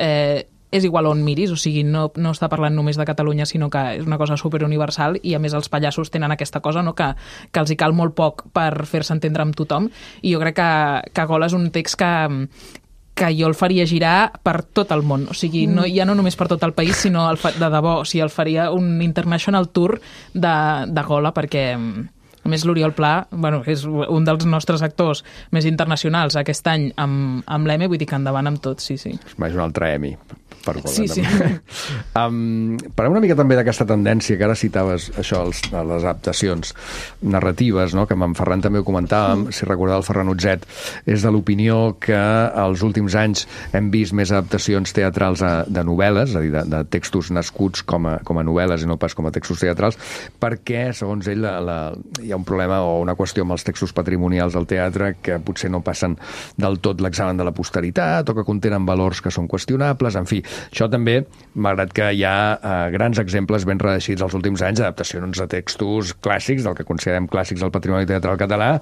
És igual on miris, o sigui, no està parlant només de Catalunya, sinó que és una cosa superuniversal, i a més els pallassos tenen aquesta cosa, no? que els hi cal molt poc per fer-se entendre amb tothom, i jo crec que Gola és un text que jo el faria girar per tot el món, o sigui, ja no només per tot el país, sinó de debò, o sigui, el faria un international tour de Gola, perquè... A més, l'Oriol Pla, és un dels nostres actors més internacionals aquest any amb l'Emmy, vull dir que endavant amb tot, sí. És un altre Emmy per Gola. Sí. Parlem una mica també d'aquesta tendència que ara citaves, això, les adaptacions narratives, no? Que amb en Ferran també ho comentàvem, si recordeu el Ferran Utzet, és de l'opinió que als últims anys hem vist més adaptacions teatrals de novel·les, és a dir, de textos nascuts com a novel·les i no pas com a textos teatrals, perquè, segons ell, hi ha un problema o una qüestió amb els textos patrimonials del teatre que potser no passen del tot l'examen de la posteritat o que contenen valors que són qüestionables, en fi. Això també, malgrat que hi ha grans exemples ben reeixits els últims anys, adaptacions de textos clàssics, del que considerem clàssics del patrimoni teatral català,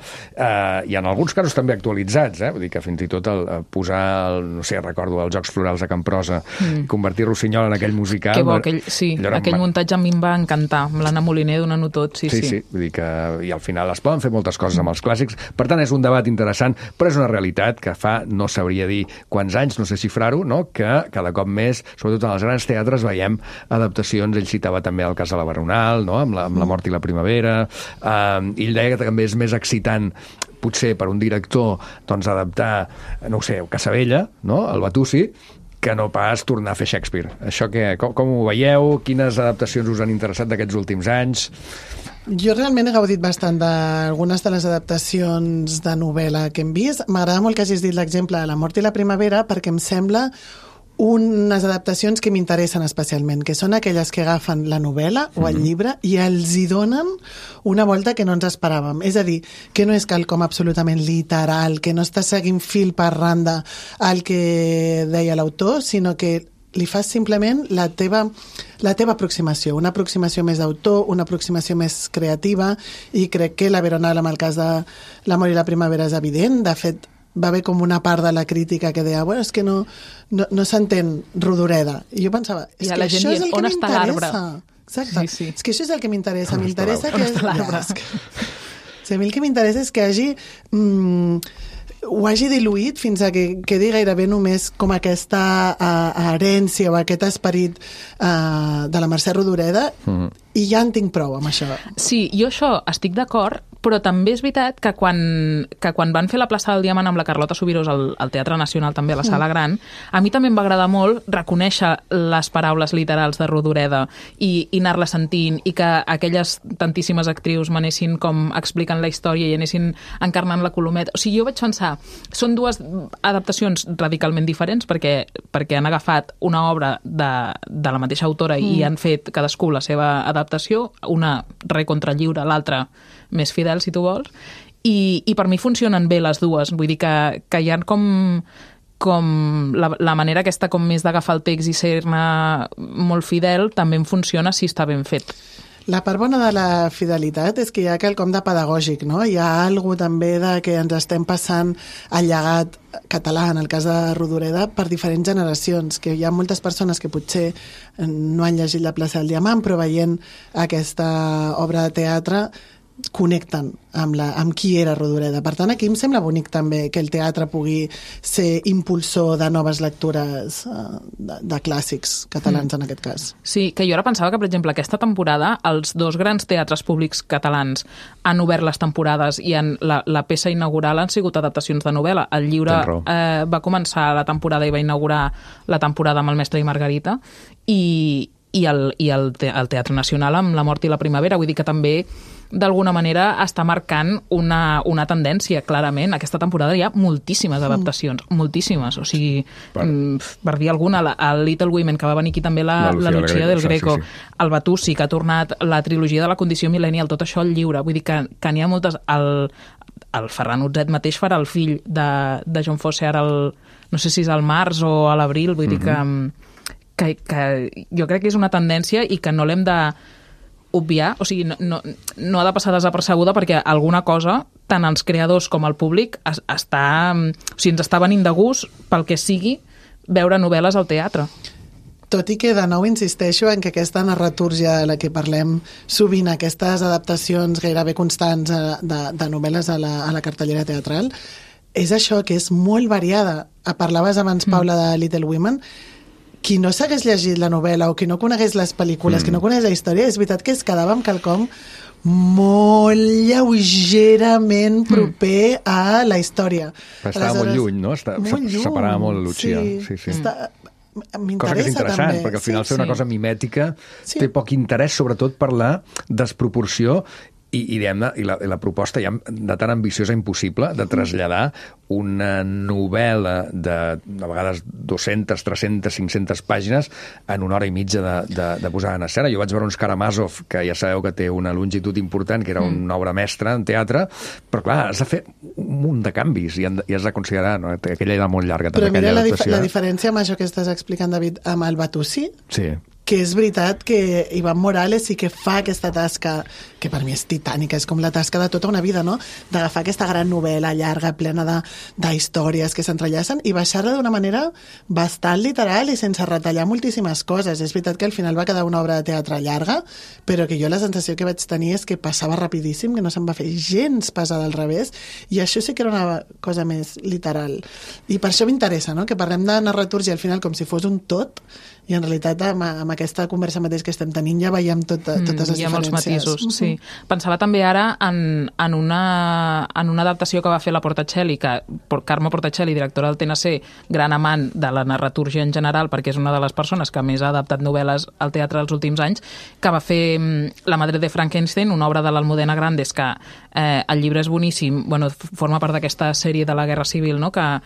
i en alguns casos també actualitzats, vull dir que fins i tot posar, no sé, recordo els Jocs Florals de Camprosa, convertir Rossinyol en aquell musical... Que bo, aquell muntatge a mi em va encantar, amb l'Anna Moliner donant-ho tot, sí. Vull dir que i al final es poden fer moltes coses amb els clàssics, per tant és un debat interessant, però és una realitat que fa, no sabria dir quants anys, no sé xifrar-ho, no? Que cada cop més, sobretot en els grans teatres, veiem adaptacions. Ell citava també el cas de la Baronal, no? amb la Mort i la Primavera, i ell deia que també és més excitant potser per un director doncs adaptar, no ho sé, Casabella, no? El Batusi, que no pas tornar a fer Shakespeare. Això com ho veieu? Quines adaptacions us han interessat d'aquests últims anys? Jo realment he gaudit bastant d'algunes de les adaptacions de novel·la que hem vist. M'agrada molt que hagis dit l'exemple de La Mort i la Primavera, perquè em sembla unes adaptacions que m'interessen especialment, que són aquelles que agafen la novel·la o el llibre i els hi donen una volta que no ens esperàvem. És a dir, que no és quelcom absolutament literal, que no està seguint fil per randa el que deia l'autor, sinó que li fas simplement la teva aproximació, una aproximació més d'autor, una aproximació més creativa, i crec que la Veronal, amb el cas de La Mort i la Primavera, és evident. De fet, va haver com una part de la crítica que deia, és que no s'entén Rodoreda. I jo pensava, és que això és el que m'interessa. Exacte. Sí. És que això és el que m'interessa. M'interessa que... Sí, a mi el que m'interessa és que ho hagi diluït fins a que quedi gairebé només com aquesta herència o aquest esperit de la Mercè Rodoreda, i ja en tinc prou amb això. Sí, jo això estic d'acord, però també és veritat que quan van fer la plaça del Diamant amb la Carlota Subirós al Teatre Nacional, també a la Sala Gran, a mi també em va agradar molt reconèixer les paraules literals de Rodoreda i anar-la sentint, i que aquelles tantíssimes actrius m'anessin com explicant la història i anessin encarnant la Colometa. O sigui, jo vaig pensar, són dues adaptacions radicalment diferents perquè han agafat una obra de la mateixa autora i han fet cadascú la seva adaptació, una recontralliure, l'altra més fidel, si tu vols, i per mi funcionen bé les dues. Vull dir que hi ha com la manera aquesta com més d'agafar el text i ser-ne molt fidel també em funciona si està ben fet. La part bona de la fidelitat és que hi ha quelcom de pedagògic, no? Hi ha alguna també de que ens estem passant el llegat català, en el cas de Rodoreda, per diferents generacions, que hi ha moltes persones que potser no han llegit La plaça del Diamant, però veient aquesta obra de teatre connecten amb qui era Rodoreda. Per tant, aquí em sembla bonic també que el teatre pugui ser impulsor de noves lectures de clàssics catalans, en aquest cas. Sí, que jo ara pensava que, per exemple, aquesta temporada els dos grans teatres públics catalans han obert les temporades i la peça inaugural han sigut adaptacions de novel·la. El llibre va començar la temporada i va inaugurar la temporada amb El mestre i Margarita i el Teatre Nacional amb La mort i la primavera. Vull dir que també d'alguna manera està marcant una tendència, clarament. Aquesta temporada hi ha moltíssimes adaptacions, moltíssimes. O sigui, per dir alguna, el Little Women, que va venir aquí també la Lucía del Greco, el Batussi, que ha tornat la trilogia de la condició millennial, tot això al lliure. Vull dir que n'hi ha moltes. El Ferran Utzet mateix farà el fill de John Fosse ara, no sé si és al març o a l'abril, vull dir que jo crec que és una tendència i que no l'hem de obviar, o sigui, no ha de passar desapercebuda, perquè alguna cosa, tant els creadors com el públic, ens està venint de gust, pel que sigui, veure novel·les al teatre. Tot i que, de nou, insisteixo en que aquesta narratúrgia de la que parlem sovint, aquestes adaptacions gairebé constants de novel·les a la cartellera teatral, és això, que és molt variada. Parlaves abans, Paula, de Little Women. Qui no s'hagués llegit la novel·la o qui no conegués les pel·lícules, qui no coneix la història, és veritat que es quedava amb quelcom molt lleugerament proper a la història. Estava molt lluny, no? Separava molt Lucía. Sí. M'interessa cosa que és interessant, també. Perquè al final ser una cosa mimètica té poc interès, sobretot per la desproporció i la proposta ja de tan ambiciosa impossible de traslladar una novel·la de vegades 200, 300, 500 pàgines en una hora i mitja de posar en escena. Jo vaig veure uns Karamazov, que ja sabeu que té una longitud important, que era una obra mestra en teatre, però clar, has de fer un munt de canvis i has de considerar, no? Que aquella era molt llarga. Però mira la diferència amb això que estàs explicant, David, amb el Batussi, que és veritat que Iván Morales sí que fa aquesta tasca, que per mi és titànica, és com la tasca de tota una vida, no? D'agafar aquesta gran novel·la llarga, plena d'històries que s'entrellacen i baixar-la d'una manera bastant literal i sense retallar moltíssimes coses. És veritat que al final va quedar una obra de teatre llarga, però que jo la sensació que vaig tenir és que passava rapidíssim, que no se'n va fer gens pesada al revés, i això sí que era una cosa més literal. I per això m'interessa, no? Que parlem de narratúrgia al final com si fos un tot, i en realitat amb aquesta conversa mateix que estem tenint ja veiem totes les diferències. Hi ha molts matisos, sí. Pensava també ara en una adaptació que va fer la Portacelli, Carme Portacelli, directora del TNC, gran amant de la narratúrgia en general, perquè és una de les persones que més ha adaptat novel·les al teatre els últims anys, que va fer La madre de Frankenstein, una obra de l'Almudena Grandes, que el llibre és boníssim, forma part d'aquesta sèrie de la Guerra Civil, no? que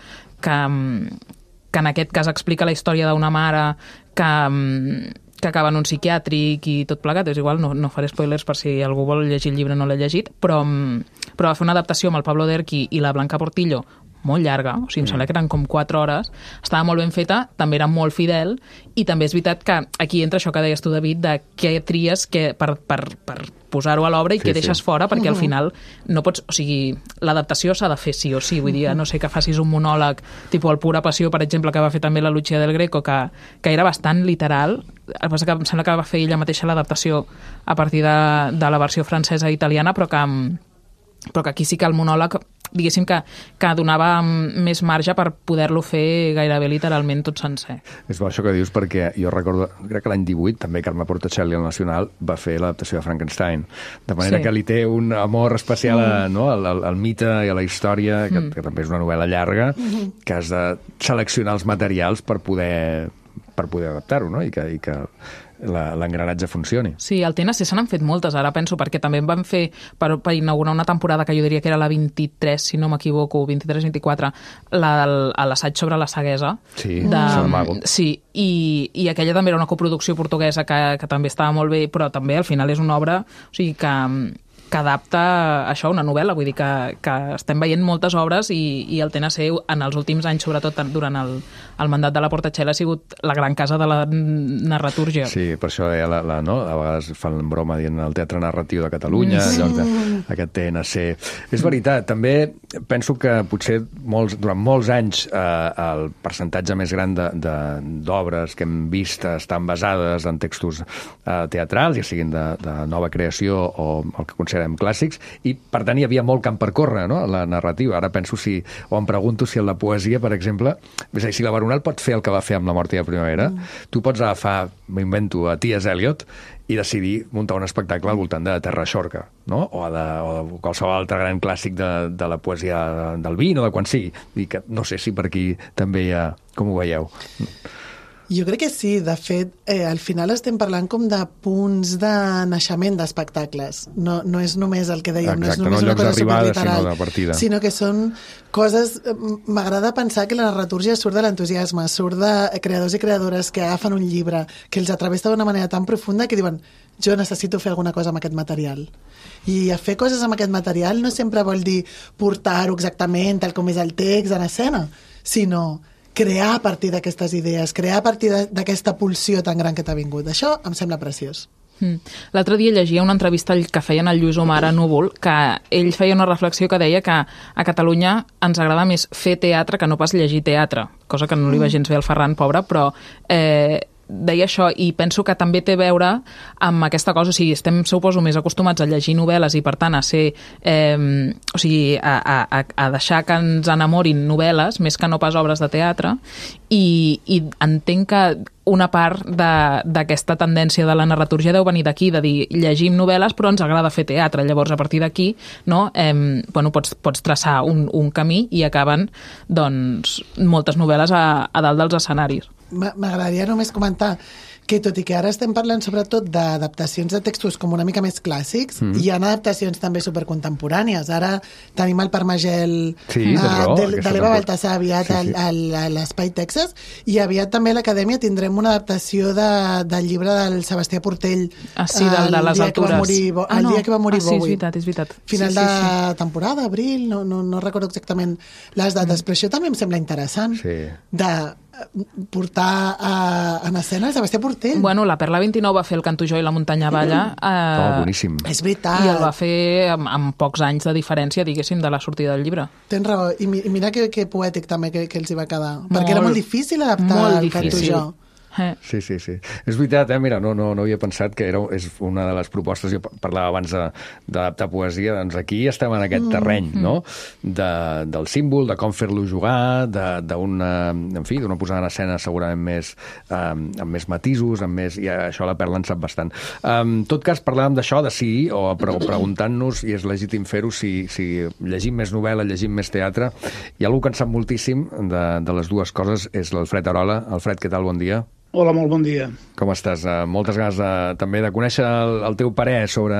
en aquest cas explica la història d'una mare que acaba en un psiquiàtric i tot plegat. És igual, no faré spoilers per si algú vol llegir el llibre no l'ha llegit, però va fer una adaptació amb el Pablo Derqui i la Blanca Portillo molt llarga, o sigui, em sembla que eren com 4 hores, estava molt ben feta, també era molt fidel, i també és veritat que aquí entra això que deies tu, David, de què tries per posar-ho a l'obra i què deixes fora, perquè al final no pots... O sigui, l'adaptació s'ha de fer sí o sí, vull dir, no sé, que facis un monòleg, tipus el Pura Passió, per exemple, que va fer també la Lucía del Greco, que era bastant literal, el que passa que em sembla que va fer ella mateixa l'adaptació a partir de la versió francesa i italiana, però que aquí sí que el monòleg, diguéssim que donava més marge per poder-lo fer gairebé literalment tot sencer. És bo això que dius, perquè jo recordo, crec que l'any 18 també Carme Portacelli al Nacional va fer l'adaptació de Frankenstein, de manera que li té un amor especial al mite i a la història, que també és una novel·la llarga, que has de seleccionar els materials per poder adaptar-ho, no? I que l'engranatge funcioni. Sí, al TNC se n'han fet moltes, ara penso, perquè també en van fer per inaugurar una temporada que jo diria que era la 23, si no m'equivoco, 23-24, l'assaig sobre la ceguesa. Sí, Saramago. Sí, i aquella també era una coproducció portuguesa que també estava molt bé, però també al final és una obra, o sigui, que adapta això, una novel·la, vull dir que estem veient moltes obres i el TNC en els últims anys, sobretot durant el mandat de la Portatxela, ha sigut la gran casa de la narratúrgia. Sí, per això no? A vegades fan broma dient el Teatre Narratiu de Catalunya, en lloc d'aquest TNC. És veritat, també penso que potser durant molts anys el percentatge més gran d'obres que hem vist estan basades en textos teatrals, ja siguin de nova creació o el que considerem clàssics, i per tant hi havia molt camp per córrer, no?, la narrativa. Ara penso em pregunto si en la poesia, per exemple, és a dir, si la Barunal pot fer el que va fer amb La mort i la primavera, tu pots agafar, m'invento, a T.S. Eliot i decidir muntar un espectacle al voltant de Terra Xorca, no?, o de qualsevol altre gran clàssic de la poesia del Vin o de quan sigui. I que no sé si per aquí també hi ha... Com ho veieu? Jo crec que sí. De fet, al final estem parlant com de punts de naixement d'espectacles. No és només el que dèiem, exacte, no és només una cosa superliteral, sinó de partida. Sinó que són coses... M'agrada pensar que la narratúrgia surt de l'entusiasme, surt de creadors i creadores que agafen un llibre, que els atravessa d'una manera tan profunda que diuen jo necessito fer alguna cosa amb aquest material. I fer coses amb aquest material no sempre vol dir portar-ho exactament tal com és el text en escena, sinó crear a partir d'aquestes idees, crear a partir d'aquesta pulsió tan gran que t'ha vingut. Això em sembla preciós. L'altre dia llegia una entrevista que feien al Lluís Omar a Núvol, que ell feia una reflexió que deia que a Catalunya ens agrada més fer teatre que no pas llegir teatre, cosa que no li va gens bé al Ferran, pobre, però deia això, i penso que també té a veure amb aquesta cosa, o sigui, estem, suposo, més acostumats a llegir novel·les i, per tant, a ser, o sigui, a deixar que ens enamorin novel·les, més que no pas obres de teatre, i entenc que una part d'aquesta tendència de la narratúrgia deu venir d'aquí, de dir, llegim novel·les però ens agrada fer teatre, llavors a partir d'aquí, no, bueno, pots traçar un camí i acaben, doncs, moltes novel·les a dalt dels escenaris. M'agradaria només comentar que tot i que ara estem parlant sobretot d'adaptacions de textos com una mica més clàssics, hi ha adaptacions també supercontemporànies. Ara tenim el Parmagel de l'Eva Baltasar aviat a l'Espai Texas, i aviat també a l'Acadèmia tindrem una adaptació del llibre del Sebastià Portell, de les altures. El dia que va morir Bowie. És veritat. Final de temporada, abril, no recordo exactament les dates, però això també em sembla interessant, de portar en escena Sebastià Portell. Bueno, la Perla 29 va fer el Canto jo i la muntanya balla. Boníssim. És veritat. I el va fer amb pocs anys de diferència, diguéssim, de la sortida del llibre. Tens raó. I mira que poètic també que els hi va quedar. Perquè era molt difícil adaptar el Canto jo. Sí. És veritat, mira, no havia pensat que és una de les propostes, jo parlava abans d'adaptar poesia, doncs aquí estem en aquest terreny, no? Del símbol, de com fer-lo jugar, d'una posada en escena segurament amb més matisos, i això la Perla en sap bastant. En tot cas, parlàvem d'això, de si, o preguntant-nos, i és legítim fer-ho, si llegim més novel·la, llegim més teatre. Hi ha algú que en sap moltíssim de les dues coses, és l'Alfred Arola. Alfred, què tal? Bon dia. Hola, molt bon dia. Com estàs? Moltes ganes també de conèixer el teu parer sobre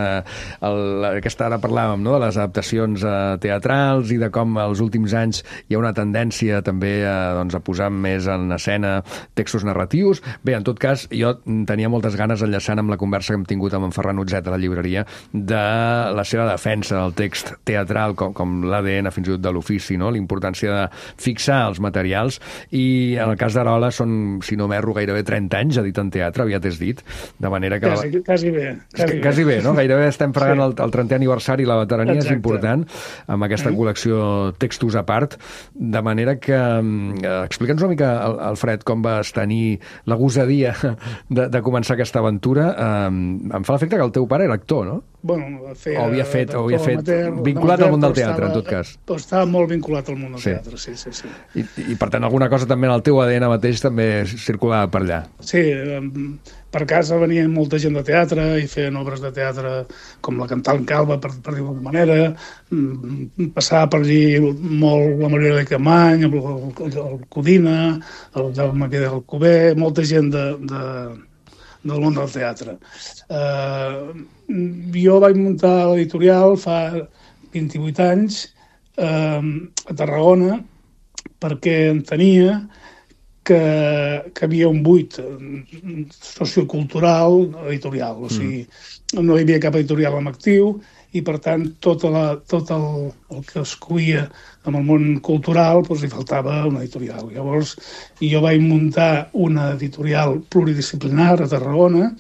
aquesta, ara parlàvem, no?, de les adaptacions teatrals i de com els últims anys hi ha una tendència també a posar més en escena textos narratius. Bé, en tot cas, jo tenia moltes ganes, enllaçant amb la conversa que hem tingut amb en Ferran Utzet a la llibreria, de la seva defensa del text teatral com l'ADN fins i tot de l'ofici, no?, l'importància de fixar els materials, i en el cas d'Arola són, si no m'erro, gairebé 30 anys editant teatre, aviat és dit, de manera que... Quasi bé, no? Gairebé estem fregant el 30è aniversari, la veterania és important, amb aquesta col·lecció textos a part, de manera que... Explica'ns una mica, Alfred, com vas tenir la gosadia de començar aquesta aventura. Em fa l'efecte que el teu pare era actor, no? Bueno, havia fet vinculat al món del teatre, en tot cas. Estava molt vinculat al món del teatre, sí. I per tant, alguna cosa també en el teu ADN mateix també circulava per allà. Sí, per casa venia molta gent de teatre i feien obres de teatre com la Cantant Calba, per dir-ho d'alguna manera. Passava per allí molt la Maria de Camany, el Codina, el Jaume Vidal Alcover, molta gent del món del teatre. Jo vaig muntar l'editorial fa 28 anys a Tarragona perquè entenia que havia un buit sociocultural editorial, o sigui, no hi havia cap editorial en actiu i per tant tot el que es cuia amb el món cultural doncs li faltava una editorial. Llavors jo vaig muntar una editorial pluridisciplinar a Tarragona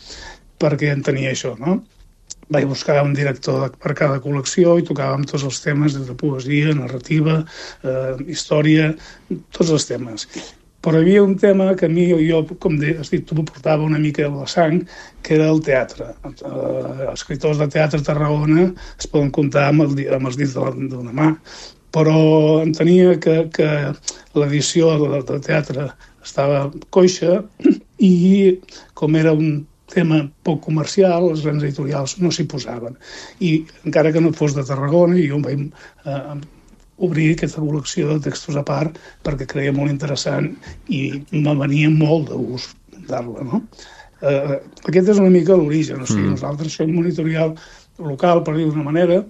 perquè entenia això, no? Vaig buscar un director per cada col·lecció i tocàvem tots els temes de poesia, narrativa, història, tots els temes. Però hi havia un tema que a mi, jo, com has dit, tu portava una mica a la sang, que era el teatre. Els escriptors de teatre a Tarragona es poden comptar amb els dits d'una mà, però entenia que l'edició de teatre estava coixa i com era un tema poc comercial, els grans editorials no s'hi posaven. I encara que no fos de Tarragona, jo em vaig obrir aquesta col·lecció de textos a part perquè creia molt interessant i me venia molt de gust dar-la, no? Aquest és una mica l'origen, o sigui, nosaltres som un editorial local, per dir d'una manera,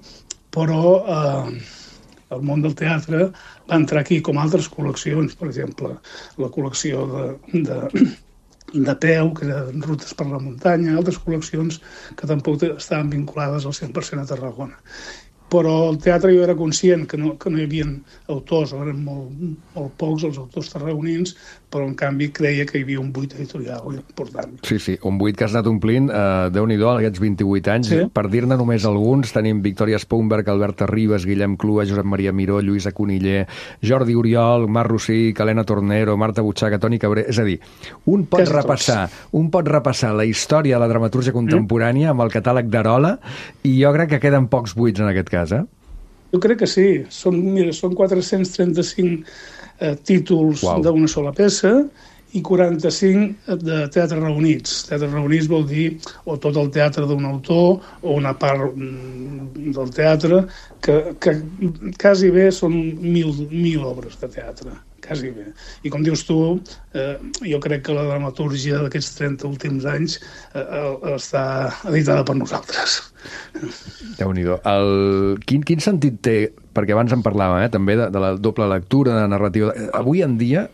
però el món del teatre va entrar aquí com altres col·leccions, per exemple, la col·lecció de peu, que eren rutes per la muntanya, altres col·leccions que tampoc estaven vinculades al 100% a Tarragona. Però el teatre jo era conscient que no hi havia autors, eren molt pocs els autors tarragonins, però en canvi creia que hi havia un buit editorial important. Sí, un buit que has anat omplint, Déu-n'hi-do, aquests 28 anys. Sí. Per dir-ne només alguns, tenim Victòria Spoonberg, Alberta Ribas, Guillem Clua, Josep Maria Miró, Lluïsa Coniller, Jordi Oriol, Marc Rossich, Helena Tornero, Marta Butxaca, Toni Cabré... És a dir, un pot repassar la història de la dramatúrgia contemporània amb el catàleg d'Arola i jo crec que queden pocs buits en aquest cas, Jo crec que sí. Són 435 títols d'una sola peça i 45 de teatre reunits. Teatre reunits vol dir o tot el teatre d'un autor o una part del teatre, que quasi bé són 1.000 obres de teatre, quasi bé. I com dius tu, jo crec que la dramatúrgia d'aquests 30 últims anys està editada per nosaltres. Déu-n'hi-do. Quin sentit té, perquè abans en parlàvem també de la doble lectura, de narrativa... Avui en dia,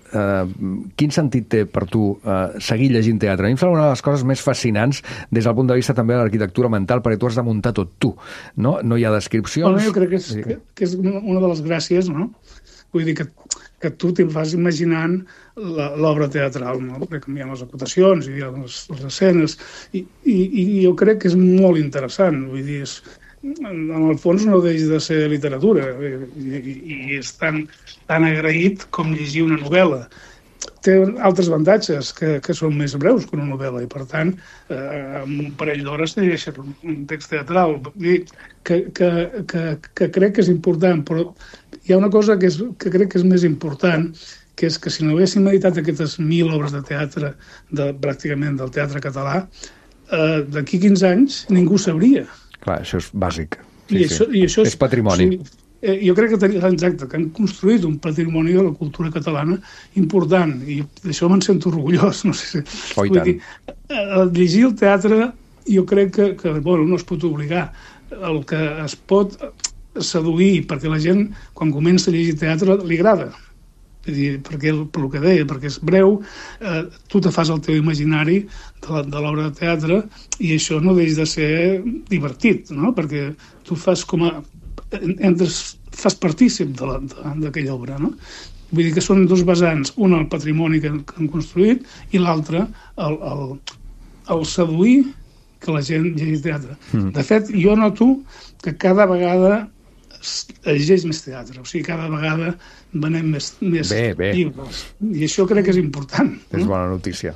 quin sentit té per tu seguir llegint teatre? A mi em sembla una de les coses més fascinants des del punt de vista també de l'arquitectura mental, perquè tu has de muntar tot tu, no? No hi ha descripcions... Bueno, jo crec que és una de les gràcies, no? Vull dir que tu te'l vas imaginant l'obra teatral, no? Perquè hi ha les acotacions, hi ha les escenes, i jo crec que és molt interessant, vull dir, en el fons no deixa de ser literatura, i és tan agraït com llegir una novel·la. Té altres avantatges, que són més breus que una novel·la, i per tant, en un parell d'hores te deixes un text teatral. Que crec que és important, però hi ha una cosa que crec que és més important, que és que si no haguéssim editat aquestes 1.000 obres de teatre, pràcticament del teatre català, d'aquí 15 anys ningú sabria. Clar, això és bàsic. I això és patrimoni. Jo crec que han construït un patrimoni de la cultura catalana important, i d'això me'n sento orgullós. No sé si... Oh, i tant. Llegir el teatre jo crec que no es pot obligar. El que es pot seduir, perquè la gent, quan comença a llegir teatre, li agrada. Per el que deia, perquè és breu, tu te fas el teu imaginari de l'obra de teatre i això no deixa de ser divertit, no? Perquè tu fas fas partícip d'aquella obra, no? Vull dir que són dos vessants, un el patrimoni que han construït i l'altre el seduir que la gent llegeix teatre. De fet, jo noto que cada vegada es llegeix més teatre, o sigui, cada vegada venem més llibres. I això crec que és important. És bona notícia.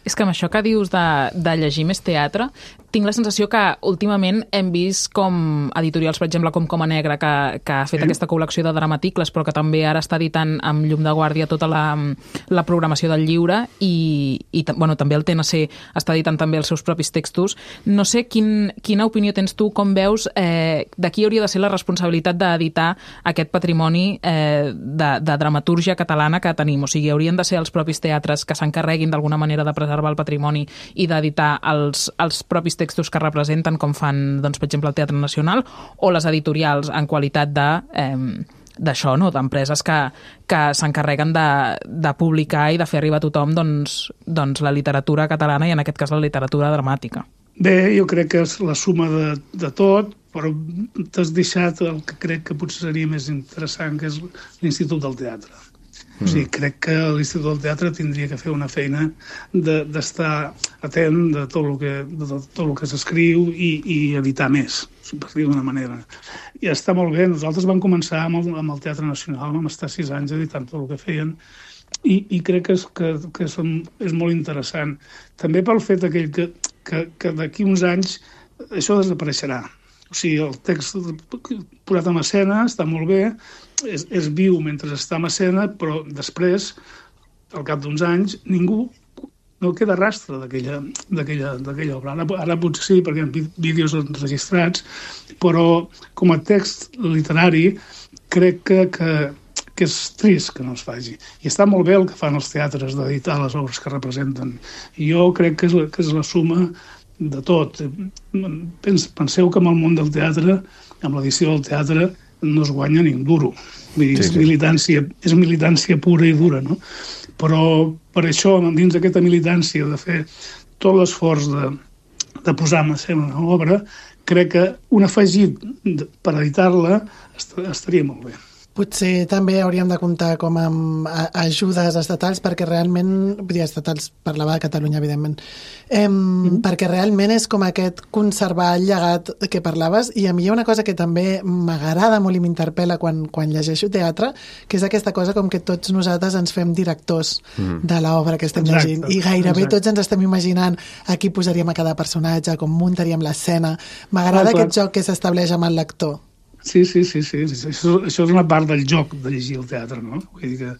És que amb això que dius de llegir més teatre, tinc la sensació que últimament hem vist com editorials, per exemple, com Coma Negra, que ha fet aquesta col·lecció de dramaticles, però que també ara està editant amb llum de guàrdia tota la programació del lliure i també el TNC està editant també els seus propis textos. No sé quina opinió tens tu, com veus, de qui hauria de ser la responsabilitat d'editar aquest patrimoni de dramatúrgia catalana que tenim. O sigui, haurien de ser els propis teatres que s'encarreguin d'alguna manera de preservar el patrimoni i d'editar els propis textos que representen, com fan, doncs, per exemple, el Teatre Nacional, o les editorials en qualitat d'això, no? D'empreses que s'encarreguen de publicar i de fer arribar a tothom doncs la literatura catalana i, en aquest cas, la literatura dramàtica. Bé, jo crec que és la suma de tot, però t'has deixat el que crec que potser seria més interessant, que és l'Institut del Teatre. O sigui, crec que l'Institut del Teatre tindria que fer una feina d'estar atent de tot el que s'escriu i editar més, per dir d'una manera. I està molt bé. Nosaltres vam començar amb el Teatre Nacional, vam estar 6 anys editant tot el que feien, i crec que és molt interessant. També pel fet aquell que d'aquí uns anys això desapareixerà. O sigui, el text posat en escena està molt bé, és viu mentre està en escena, però després, al cap d'uns anys, ningú no queda rastre d'aquella obra. Ara potser sí, perquè hi ha vídeos enregistrats, però com a text literari crec que és trist que no es faci. I està molt bé el que fan els teatres d'editar les obres que representen. I jo crec que és la suma de tot. Penseu que en el món del teatre, amb l'edició del teatre, no es guanya ni un duro. Vull dir, és militància pura i dura, no? Però per això, dins d'aquesta militància, de fer tot l'esforç de posar en escena una obra, crec que un afegit per editar-la estaria molt bé. Potser també hauríem de comptar com amb ajudes estatals, perquè realment, vull dir, estatals, parlava de Catalunya, evidentment, perquè realment és com aquest conservar el llegat que parlaves, i a mi hi ha una cosa que també m'agrada molt i m'interpel·la quan llegeixo teatre, que és aquesta cosa com que tots nosaltres ens fem directors de l'obra que estem llegint, i gairebé tots ens estem imaginant a qui posaríem a cada personatge, com muntaríem l'escena. M'agrada aquest joc que s'estableix amb el lector. Sí. Això és una part del joc de llegir el teatre, no? Vull dir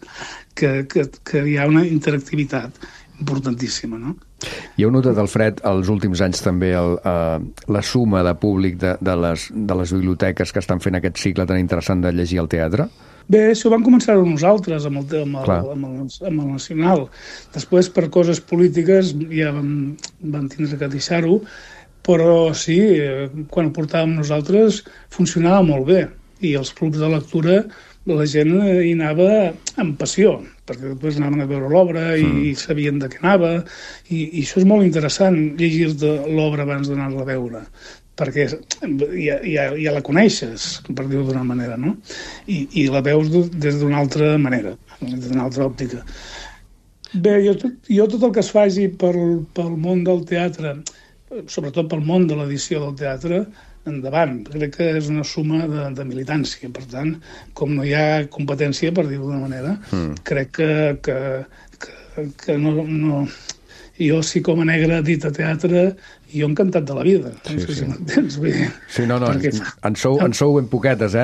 que hi ha una interactivitat importantíssima, no? I heu notat, Alfred, els últims anys també la suma de públic de les biblioteques que estan fent aquest cicle tan interessant de llegir el teatre? Bé, això vam començar nosaltres amb el Nacional. Després, per coses polítiques, ja vam tindre que deixar-ho, però sí, quan ho portàvem nosaltres funcionava molt bé, i els clubs de lectura la gent hi anava amb passió, perquè després anaven a veure l'obra i sabien de què anava, i això és molt interessant, llegir-te l'obra abans d'anar-la a veure, perquè ja la coneixes, per dir-ho d'una manera, no? I la veus des d'una altra manera, d'una altra òptica. Bé, jo tot el que es faci pel món del teatre, sobretot pel món de l'edició del teatre, endavant. Crec que és una suma de militància. Per tant, com no hi ha competència, per dir-ho d'una manera, crec que no... Jo, si com a negre dit a teatre, jo encantat de la vida. Si m'entens? Sí, no, en sou ben poquetes, i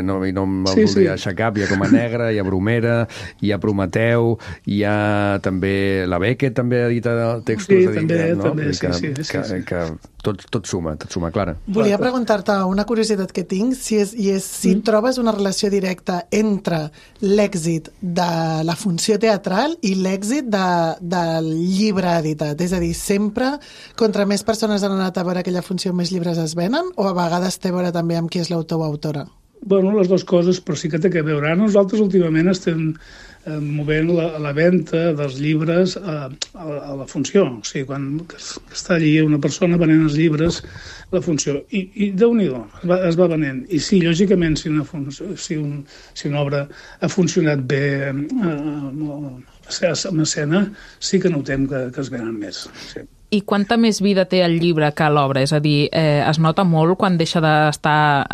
no em voldria deixar cap. Hi ha com a negra, hi ha Bromera, hi ha Prometeu, hi ha també la Beckett, també edita textos. Sí, també, sí. Que tot suma, Clara. Volia preguntar-te una curiositat que tinc, si trobes una relació directa entre l'èxit de la funció teatral i l'èxit del llibre editat. És a dir, sempre, contra més persones han anat a veure aquella funció, més llibres es venen, o a vegades té a veure també amb qui és l'autor o autora? Bueno, les dues coses, però sí que té a veure. Nosaltres últimament estem movent la venda dels llibres a la funció. O sigui, quan està allí una persona venent els llibres, la funció. I Déu-n'hi-do, es va venent. I sí, lògicament, si una obra ha funcionat bé en escena, sí que notem que es venen més. Sí. I quanta més vida té el llibre que l'obra? És a dir, es nota molt quan deixa d'estar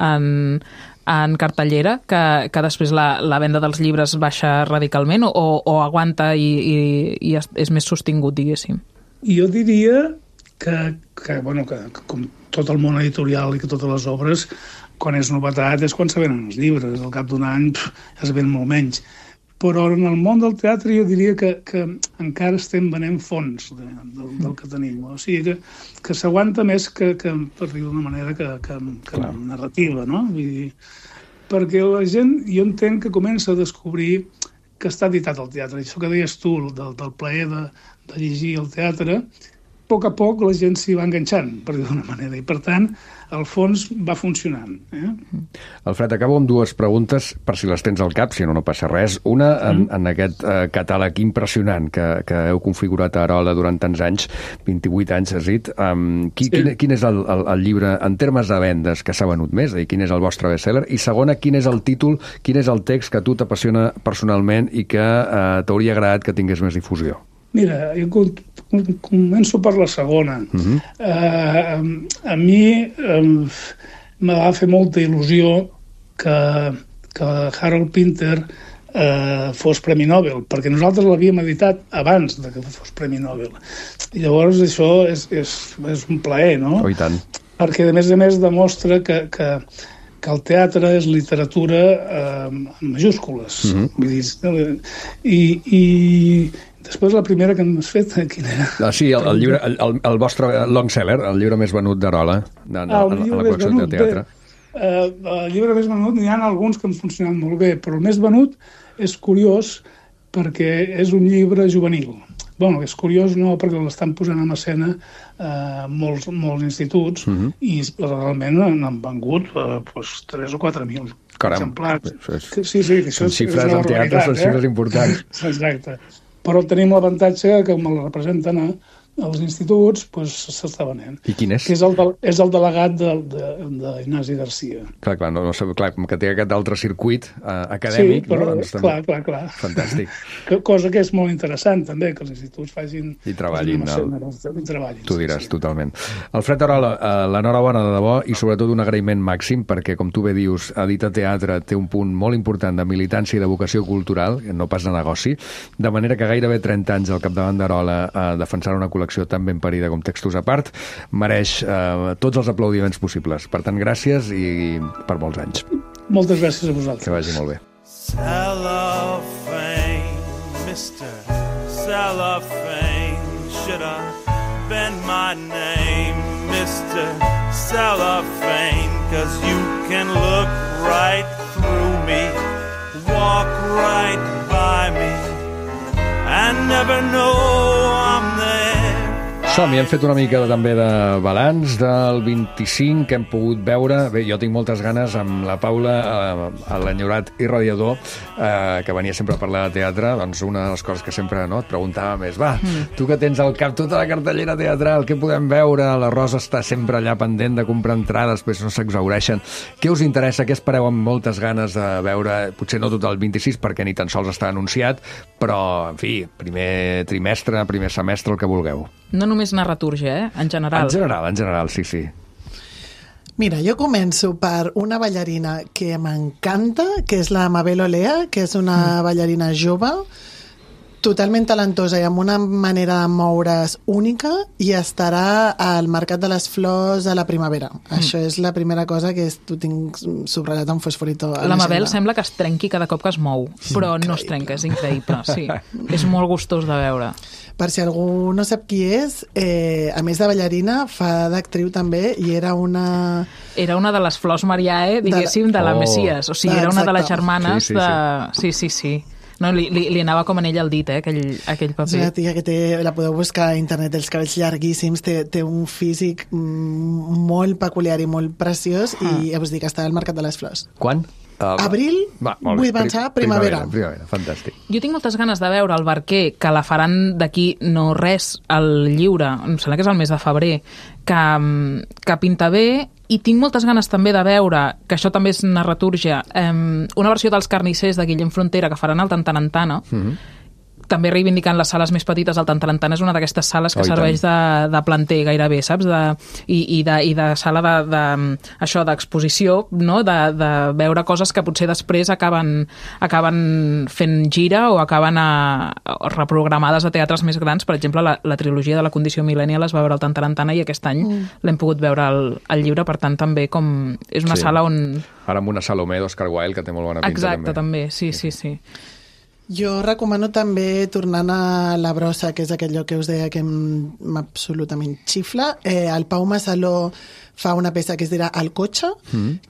en cartellera, que després la venda dels llibres baixa radicalment, o aguanta i és més sostingut, diguéssim? Jo diria que com tot el món editorial i que totes les obres, quan és novetat és quan se venen els llibres. Al cap d'un any es ven molt menys. Però en el món del teatre jo diria que encara estem venent fons del que tenim. O sigui que s'aguanta més que per dir d'una manera, que narrativa, no? Vull dir, perquè la gent, jo entenc que comença a descobrir que està editat el teatre. Això que deies tu, del plaer de llegir el teatre, poc a poc la gent s'hi va enganxant, per dir d'una manera, i per tant el fons va funcionant. Alfred, acabo amb dues preguntes, per si les tens al cap, si no passa res. Una, en aquest catàleg impressionant que heu configurat a Arola durant tants anys, 28 anys, has dit, quin és el llibre, en termes de vendes, que s'ha venut més? Quin és el vostre bestseller? I segona, quin és el títol, quin és el text que a tu t'apassiona personalment i que t'hauria agradat que tingués més difusió? Mira, jo començo per la segona. A mi me va fer molta il·lusió que Harold Pinter fos Premi Nobel, perquè nosaltres l'havíem editat abans de que fos Premi Nobel. I llavors això és un plaer, no? Oh, i tant. Perquè, a més, demostra que el teatre és literatura en majúscules. Vull dir, i després la primera que m'has fet, quina era? Sí, el llibre, el vostre long seller, el llibre més venut d'Arola, a la col·lecció de teatre. El llibre més venut, n'hi ha alguns que han funcionat molt bé, però el més venut és curiós perquè és un llibre juvenil. Bueno, és curiós no, perquè l'estan posant en escena molts instituts i realment n'han vengut 3 o 4.000 exemplars. Sí, són xifres en teatre, són xifres importants. Exacte. Però tenim l'avantatge que com el representen als instituts, s'està venent. I quin és? Que és el delegat d'Ignasi Garcia. Clar, que té aquest altre circuit acadèmic. Sí, però clar. Fantàstic. Cosa que és molt interessant, també, que els instituts facin... I treballin. Tu diràs, sí. Totalment. Alfred Arola, l'enhorabona de debò i sobretot un agraïment màxim, perquè, com tu bé dius, Edita Teatre té un punt molt important de militància i de vocació cultural, no pas de negoci, de manera que gairebé 30 anys al capdavant d'Arola defensant una col·lecció tan ben parida com Textos a part, mereix tots els aplaudiments possibles. Per tant, gràcies i per molts anys. Moltes gràcies a vosaltres. Que vagi molt bé. Cellophane, Mr. Cellophane, should I bend my name, Mr. Cellophane, 'cause you can look right through me, walk right by me, and never know I'm there. Som-hi, hem fet una mica també de balanç del 25 que hem pogut veure. Bé, jo tinc moltes ganes amb la Paula, a l'enyorat Irradiador, que venia sempre a parlar de teatre, doncs una de les coses que sempre et preguntàvem és, tu que tens al cap tota la cartellera teatral, què podem veure? La Rosa està sempre allà pendent de comprar entrades, després no s'exhaureixen. Què us interessa? Què espereu amb moltes ganes de veure? Potser no tot el 26, perquè ni tan sols està anunciat, però, en fi, primer trimestre, primer semestre, el que vulgueu. No només narratúrgia, en general. En general, sí. Mira, jo començo per una ballarina que m'encanta, que és la Mabel Olea, que és una ballarina jove, totalment talentosa i amb una manera de moure's única, i estarà al Mercat de les Flors a la primavera. Això és la primera cosa que ho tinc subratllat amb fosforito. La Mabel sembla que es trenqui cada cop que es mou, però no es trenca, és increïble. Sí. És molt gustós de veure. Per si algú no sap qui és, a més de ballarina, fa d'actriu també, i era una... Era una de les Flors Mariae, diguéssim, de la Messias. O sigui, era una de les germanes de... Sí. No, li anava com en ell el dit, aquell paper. És una tia que la podeu buscar a internet, els cabells llarguíssims, té un físic molt peculiar i molt preciós, i us dic que està al Mercat de les Flors. Quan? Abril, vull pensar primavera. Fantàstic. Jo tinc moltes ganes de veure el Barquer, que la faran d'aquí no res, al Lliure, em sembla que és el mes de febrer, que pinta bé, i tinc moltes ganes també de veure, que això també és narratúrgia, una versió dels Carnissers de Guillem Frontera que faran al Tantarantana, també reivindicant les sales més petites. El Tantarantana és una d'aquestes sales que serveix de planter gairebé, saps? I de sala això d'exposició, no? De veure coses que potser després acaben fent gira o acaben reprogramades a teatres més grans. Per exemple, la trilogia de la Condició Millennial es va veure al Tantarantana i aquest any l'hem pogut veure al Lliure, per tant també és una sala on... Ara amb una Salomé d'Oscar Wilde que té molt bona pinta. Exacte, també, sí. Jo recomano també, tornant a La Brossa, que és aquell lloc que us deia que absolutament xifla, el Pau Massaló fa una peça que es dirà El cotxe,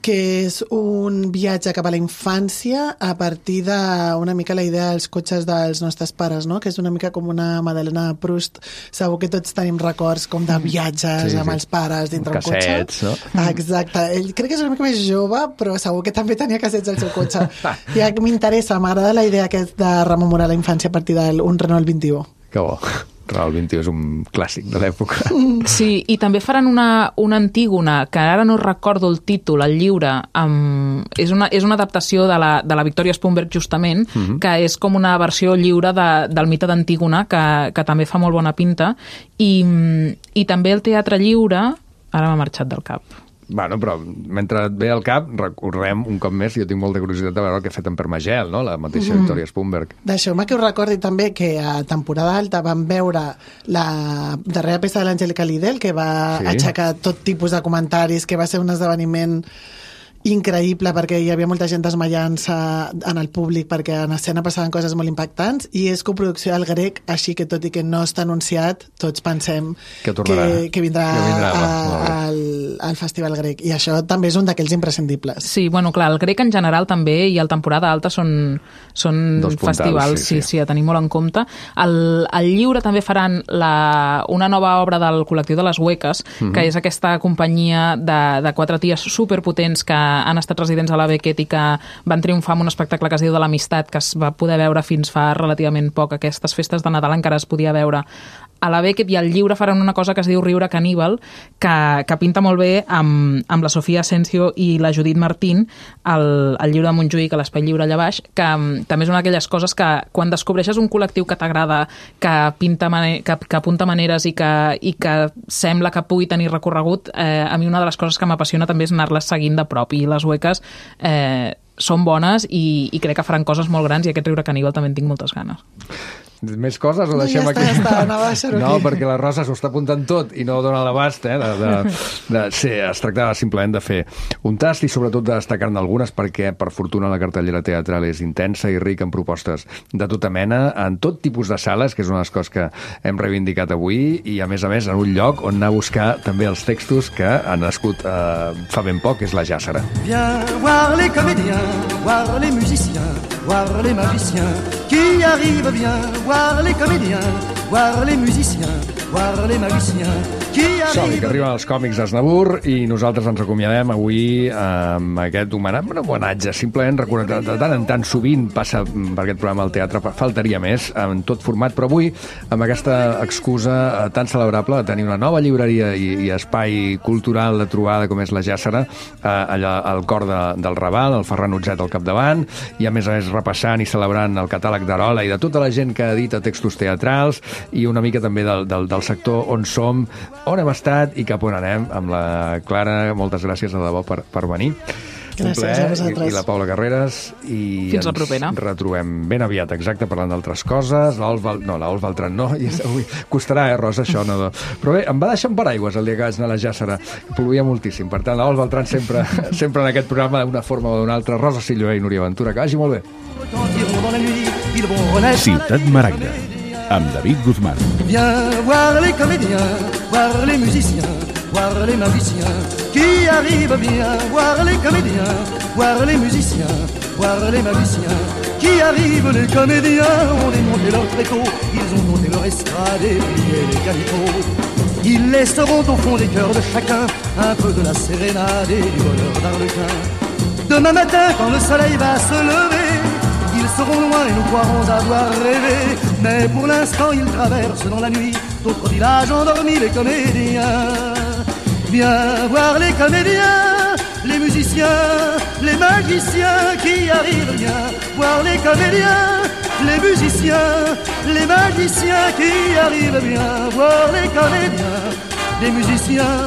que és un viatge cap a la infància a partir d'una mica la idea dels cotxes dels nostres pares, no? Que és una mica com una Madalena de Proust. Segur que tots tenim records com de viatges amb els pares dintre un cotxe. Cassets, no? Exacte. Ell crec que és una mica més jove, però segur que també tenia cassets al seu cotxe. Ja m'interessa, m'agrada la idea aquesta de rememorar la infància a partir d'un Renault 21. Que bo. Renault 21 és un clàssic de l'època. Sí, i també faran una Antígona, que ara no recordo el títol, el llibre, és una adaptació de la Victoria Spunberg, justament, que és com una versió lliure del mite d'Antígona, que també fa molt bona pinta, i també el teatre lliure, ara m'ha marxat del cap. Bueno, però mentre et ve al cap, recorrem un cop més, jo tinc molta curiositat de veure el que ha fet en Permagel, no? La mateixa Victoria Spunberg. Deixeu-me que us recordi també que a temporada alta vam veure la darrera peça de l'Angélica Lidl, que va aixecar tot tipus de comentaris, que va ser un esdeveniment increïble perquè hi havia molta gent desmaiant-se en el públic perquè en escena passaven coses molt impactants, i és coproducció del Grec, així que tot i que no està anunciat, tots pensem que vindrà al Festival Grec, i això també és un d'aquells imprescindibles. Sí, bueno, clar, el Grec en general també, i el temporada alta són festivals, sí, a tenir molt en compte. Al Lliure també faran una nova obra del col·lectiu de les Hueques, que és aquesta companyia de 4 ties superpotents que han estat residents a la Beckett i que van triomfar amb un espectacle que es diu de l'Amistat, que es va poder veure fins fa relativament poc. Aquestes festes de Nadal encara es podia veure. A la Beckett i al Lliure faran una cosa que es diu Riure Caníbal, que pinta molt bé amb la Sofia Asensio i la Judit Martín, al Lliure de Montjuïc, a l'Espai Lliure allà baix, que també és una d'aquelles coses que quan descobreixes un col·lectiu que t'agrada, que apunta maneres i que sembla que pugui tenir recorregut, a mi una de les coses que m'apassiona també és anar-les seguint de prop, i les Hueques són bones i crec que faran coses molt grans, i aquest Riure Caníbal també en tinc moltes ganes. Més coses o deixem aquí? No, perquè la Rosa s'ho està apuntant tot i no dona l'abast, Sí, es tractava simplement de fer un tast i sobretot de destacar-ne algunes, perquè per fortuna la cartellera teatral és intensa i rica en propostes de tota mena, en tot tipus de sales, que és una de les coses que hem reivindicat avui, i a més en un lloc on anar a buscar també els textos que han nascut fa ben poc, és la Jàssera. Viens voir les comédiens, voir les musiciens, voir les magiciens qui arrivent, viens voir les comédiens, voir les musiciens, voir les magiciens qui arrivent. Som-hi, que arriben els còmics d'Aznavour, i nosaltres ens acomiadem avui amb aquest homenatge, simplement recordar, de tant en tant, sovint passa per aquest programa al teatre, faltaria més, en tot format, però avui amb aquesta excusa tan celebrable de tenir una nova llibreria i espai cultural de trobada com és la Jàssera, allà al cor del Raval, el Ferran Utzet al capdavant, i a més repassant i celebrant el catàleg d'Arola i de tota la gent que edita textos teatrals, i una mica també del sector on som, on hem estat i cap on anem, amb la Clara. Moltes gràcies de debò per venir. Gràcies a vosaltres. I la Paula Carreras, i fins la propera. Ens retrobem ben aviat, exacte, parlant d'altres coses. L'Olf Beltran no, i avui costarà, Rosa, això no. Però bé, em va deixar un paraigües el dia que vaig anar a la Jàssera, plovia moltíssim, per tant, l'Olf Beltran sempre en aquest programa d'una forma o d'una altra. Rosa Silloé i Núria Ventura, que vagi molt bé. Ciutat Maragda, amb David Guzmán. Viens voir les comédiens, voir les musiciens, voir les magiciens qui arrivent, viens voir les comédiens, voir les musiciens, voir les magiciens qui arrivent. Les comédiens ont démonté leur tréteau, ils ont monté leur estrade et plié les calicots. Ils laisseront au fond des cœurs de chacun un peu de la sérénade et du bonheur d'Arlequin. Demain matin, quand le soleil va se lever, ils seront loin et nous croirons avoir rêvé. Mais pour l'instant, ils traversent dans la nuit d'autres villages endormis, les comédiens. Viens voir les comédiens, les musiciens, les magiciens qui arrivent. Viens voir les comédiens, les musiciens, les magiciens qui arrivent. Viens voir les comédiens, les musiciens,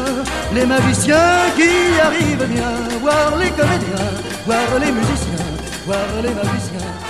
les magiciens qui arrivent. Viens voir les comédiens, voir les musiciens, voir les magiciens.